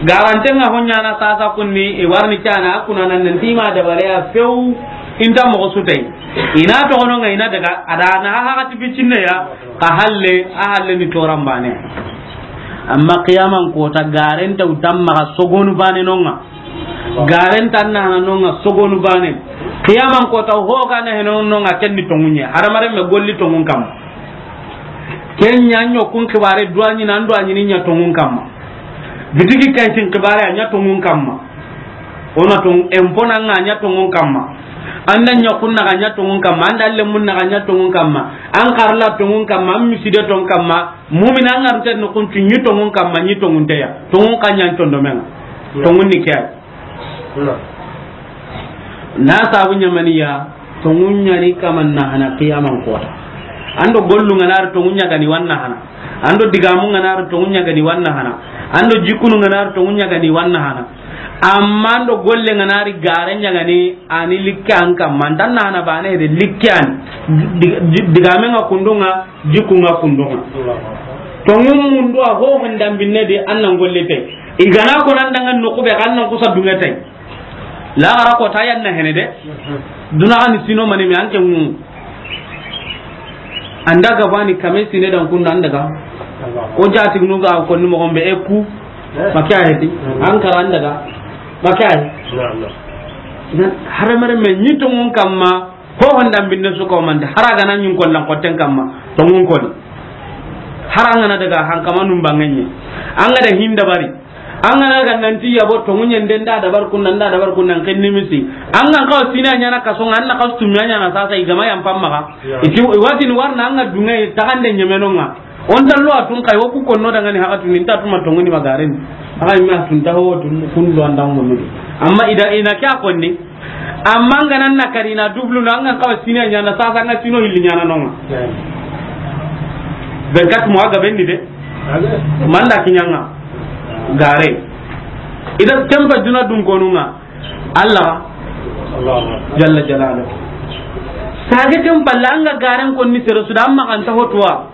Garanten ga honya na sasa kunni, e warni kana, akuna nan nan tima da bare ya few, inta mo sutai. Ina to ono nga ina daga, ada na ha hati bicinne ya, ka halle, a halle ni toran bane. Amma qiyaman kota, garen ta wutan maxa sogonu bane no ŋa. Garen ta na hana no ŋa sogonu bane. Qiyaman kota, ho ga na heno no ŋa, ken ni tonŋun ɲa. Hadamaren me golli tonŋun kamma. Ken ɲa ɲo kun xibare duwa ɲi nan duwa ɲi ni ɲa tonŋun kamma. Bitigi kaytin xibare a ɲa tonŋun kamma. Ona tonŋu, empo na ŋa ɲa tonŋun kamma. An da ɲa kun na ga ɲa tonŋun kamma. An da lemun na ga ɲa tonŋun kamma. An karla tonŋun kamma. An miside ton kamma. Mumina an ŋa rute no kun ti ɲi tonŋun kamma, ɲi tonŋun teya. Tonŋun ka ɲa tonŋun do me ŋa. Tonŋun ni ke ya. Na sabu ɲamaniya, tonŋun ɲa ni kaman na hana qiyaman kota. An do gollu ŋa na ri tonŋun ɲa ga ni wa na hana. An do digamu ŋa na ri tonŋun ɲa ga ni wa na hana. An do jikunu ŋa na ri tonŋun ɲa ga ni wa na hana. Amma an do golle ŋa na ri gare ɲa ga ni, a ni likke an kamma. An ta na hana bane de likke an. Di-, di-, digame ŋa kundu ŋa, jiku ŋa kundu ŋa. Tonŋun mundu a ho hon dambinne di an nan golle te. I ga na ko nan dangan no kube kan nan kusa dunŋe te. Laxara kota yan na hene de. Duna ga ni sino mani mi an ke ŋu. An da ga bani kame sine dan kun nan daga. O jati nu ga ko ni mo gombe e ku. Ba ke ya heti. An kara an daga. Ba ke ya. Idan hadamaren me ɲi tonŋun kamma. Ho hon dambinne su ko mande, hara ga na ɲi n kollan kotten kamma, tonŋun koni. Hara an ga na daga hankamanun bangenye. An ga da hin dabari. An ga na ga nanti yabo tonŋun ɲa n den da dabar kunna, n da dabar kunna, n ken nimisi. An ga n kawa sina ɲana kaso ŋa, an na kasu tumiya ɲana sasa i gama yan pamma ga. Iti, i wati ni warna an ga dunŋe taxande ɲemeno ŋa. On ta lo a tun kay, wo ku konno dangani haka tun, inta tuma tongoni magaren. Haka mi a tun ta ho tun kun do andan mo mudi. Amma ida ina kya konni. Amma ngana na karina dublu na, an ga kawa sine ɲana, sasa an ga sino hilli ɲana no ŋa. Be kat mo aga bendi de. Manda kiɲa ŋa. Gare. Ida tempa duna dun konu ŋa. Allah. Jalla Jalaluhu. Sage tempa la an ga garen konni sere su da, amma kan ta hotuwa.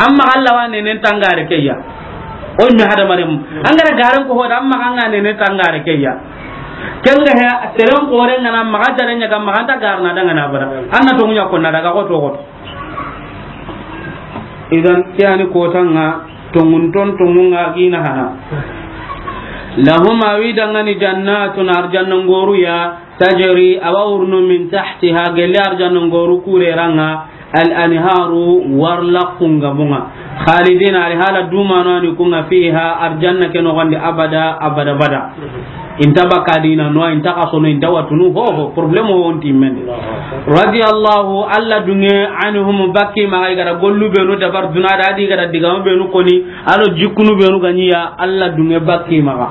Amma Allah wa nenen tangare keya. O mi hadamaren. An ga ra garen ko hoda, amma kan ga nenen tangare keya. Ken ga he, seren kore ngana maxa dare ɲa ga maxa ta garna dangana bara. An na tonŋun ɲa konna daga ko to ko. Idan ke yani kota ŋa, tonŋun ton tonŋun ŋa gina hana. Lahum, a wi dangani, jannatun, arjanna ngoru ya, tajri, a wa wurunu, min tahtiha, gelle arjanna ngoru kure ra ŋa, al anharu, warla kunga bunga. Khalidina, al hala dumano ani kunga, fiha, arjanna ke nogondi, abada, abada, bada. Inta baka dina no, inta kasono, inta watunu, ho, ho, problème ho, on ti men. Radiyallahu, Allah dunge, anhum, baki maxa, i ga da gollu benu dabar duna da, a di ga da digamu benu koni, a do jikkunu benu ga ɲi ya, Allah dunge baki maxa.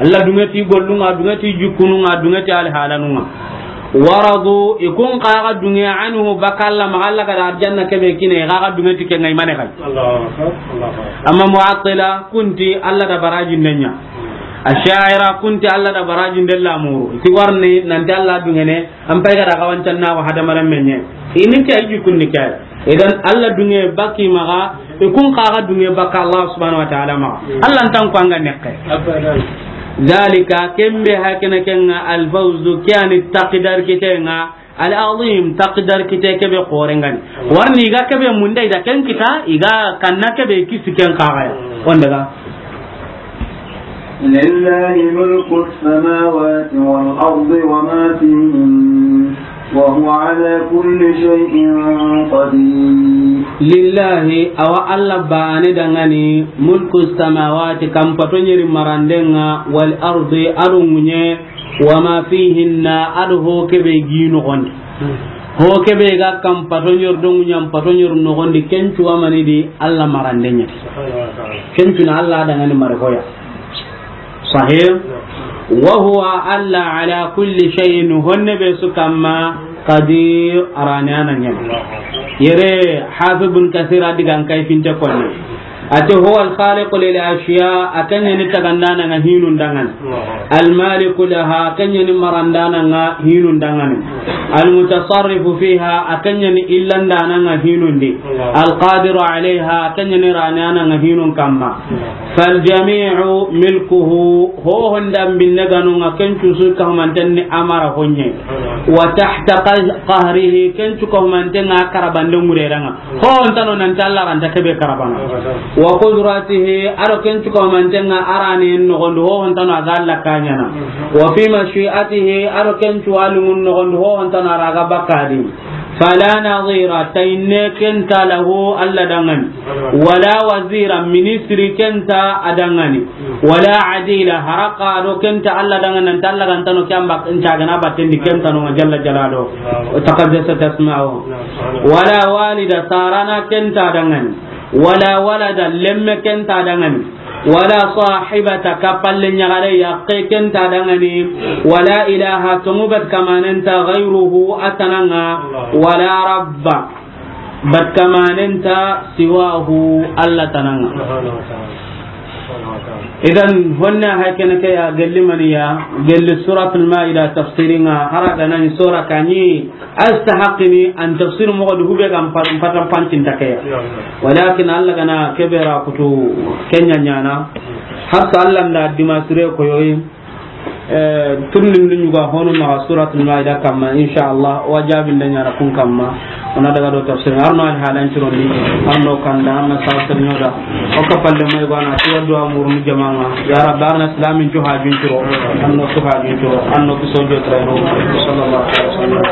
Allah dunge ti gollu ŋa, dunge ti jikkunu ŋa, dunge ti alhalanu ŋa. Waradu, i kun xa ga dunge, anhu, baka Allah maxa, Allah ga da arjanna kebe kine, i xa ga dunge ti ke ŋa i mane xay. Allahu akbar, Allahu akbar. Amma mu'attila, kun ti Allah da baraji ndenya. Asha'ira, kun ti Allah da baraji ndella muru. Ti warni, nanti Allah dungene, an pay ga da ga wancan na wa hadamaren menye. Ini ke ayi kun ni ke. Idan Allah dunge baki maxa, i kun xa ga dunge baka Allah subhanahu wa ta'ala maxa. Allah ntan ko an ga nekke. Abadan. Zalika, kembe hakene ke ŋa, al fawzu, ke yani taqdar kite ŋa, al azim, taqdar kite kebe xorengani. Warni i ga kebe munde i da ken kita, i ga kanna kebe kisi ken xa ga ya. On daga. لله ملك السماوات والأرض وما فيهن وهو على كل شيء قدير. Lillahi, awa Allah bane dangani, mulku samawati, kampato ɲeri marandenga, wal ardi, a do ŋuɲe, wa ma fihinna, a do ho kebe gi noxondi. Ho kebe ga kampato ɲeri do ŋuɲan pato ɲeri noxondi, kencu wa mani di Allah marandenya. Subhanahu wa ta'ala. Kencu na Allah dangani mari hoya. Sahih. Wa huwa, Allah, ala kulli shay'in, honne be su kamma, qadir, arani ana ɲama. Yere, Hafiz bin Kathir a digan kay finte konni. Ate, huwa al-khaliqu lil ashya, a ken ɲa ni tagandana ŋa hinun dangan. Al-maliku laha, a ken ɲa ni marandana ŋa hinun dangan. Al-mutasarrifu fiha, a ken ɲa ni illandana ŋa hinun di. Al-qadiru alayha, a ken ɲa ni ranana ŋa hinun kamma. فالجميع ملكه, ho honda binne ganun ŋa, ken cu su kahumanten ni a mara ho ɲa. وتحت قه-, قهره, ken cu kahumanten ŋa a karabande ŋureren ŋa. Ho hontano nan ti Alla ra nta kebe karabana. وقدرته, a do ken cu kahumanten ŋa a ra ni noxon di, ho hontano a ga Alla ka ɲaana. وفي مشيئته, a do ken cu wa linŋun noxon di, ho hontano a ra ga bakka di. فلا نظير, tayinne ken nta له, Alla danŋa ni. ولا وزير, ministri ken nta a danŋa ni. ولا عديل, haraka do ken nta Alla danŋa ni, nan ti Alla ga ntano ke an bak-, ncagana batten di, ken ntano ŋa جل جلاله وتقدست أسماؤه. ولا والد, sarana ken nta a danŋa ni. ولا ولد, lemme ken nta a danŋa ni. ولا صاحبة, kapalle ɲaxare yaqqe ken nta a danŋa ni. ولا إله, tonŋu bat kamanen nta, غيره, a tana ŋa. ولا رب, bat kamanen nta, سواه, Alla tana ŋa. Idan, honna hay kene ke ya gelli maniya, gelli Suratul Maida tafsirin ŋa, hara ga na ni sura kani, a stahaqqini an tafsir moxo di hube ga n pa-, n patan pancin ta ke ya. Walakin Alla ga na kebe ra kutu ken ɲa ɲaana. Har sa Alla nda dima sire ko yoyi. Eh, turnin du ɲuga honu maxa Suratul Maida kamma, insha Allah, wa jabin da ɲaana kun kamma. O na daga do tafsir, arno al halan ciro ni, arno kanda, arno sasir ɲoda. O ka palle mai gwana, ti wa duwa murnu jama'a. Ya Rabbi, arna islamin cu hajun ciro, arno cu hajun ciro, arno ku sojo treno. Sallallahu alaihi wasallam.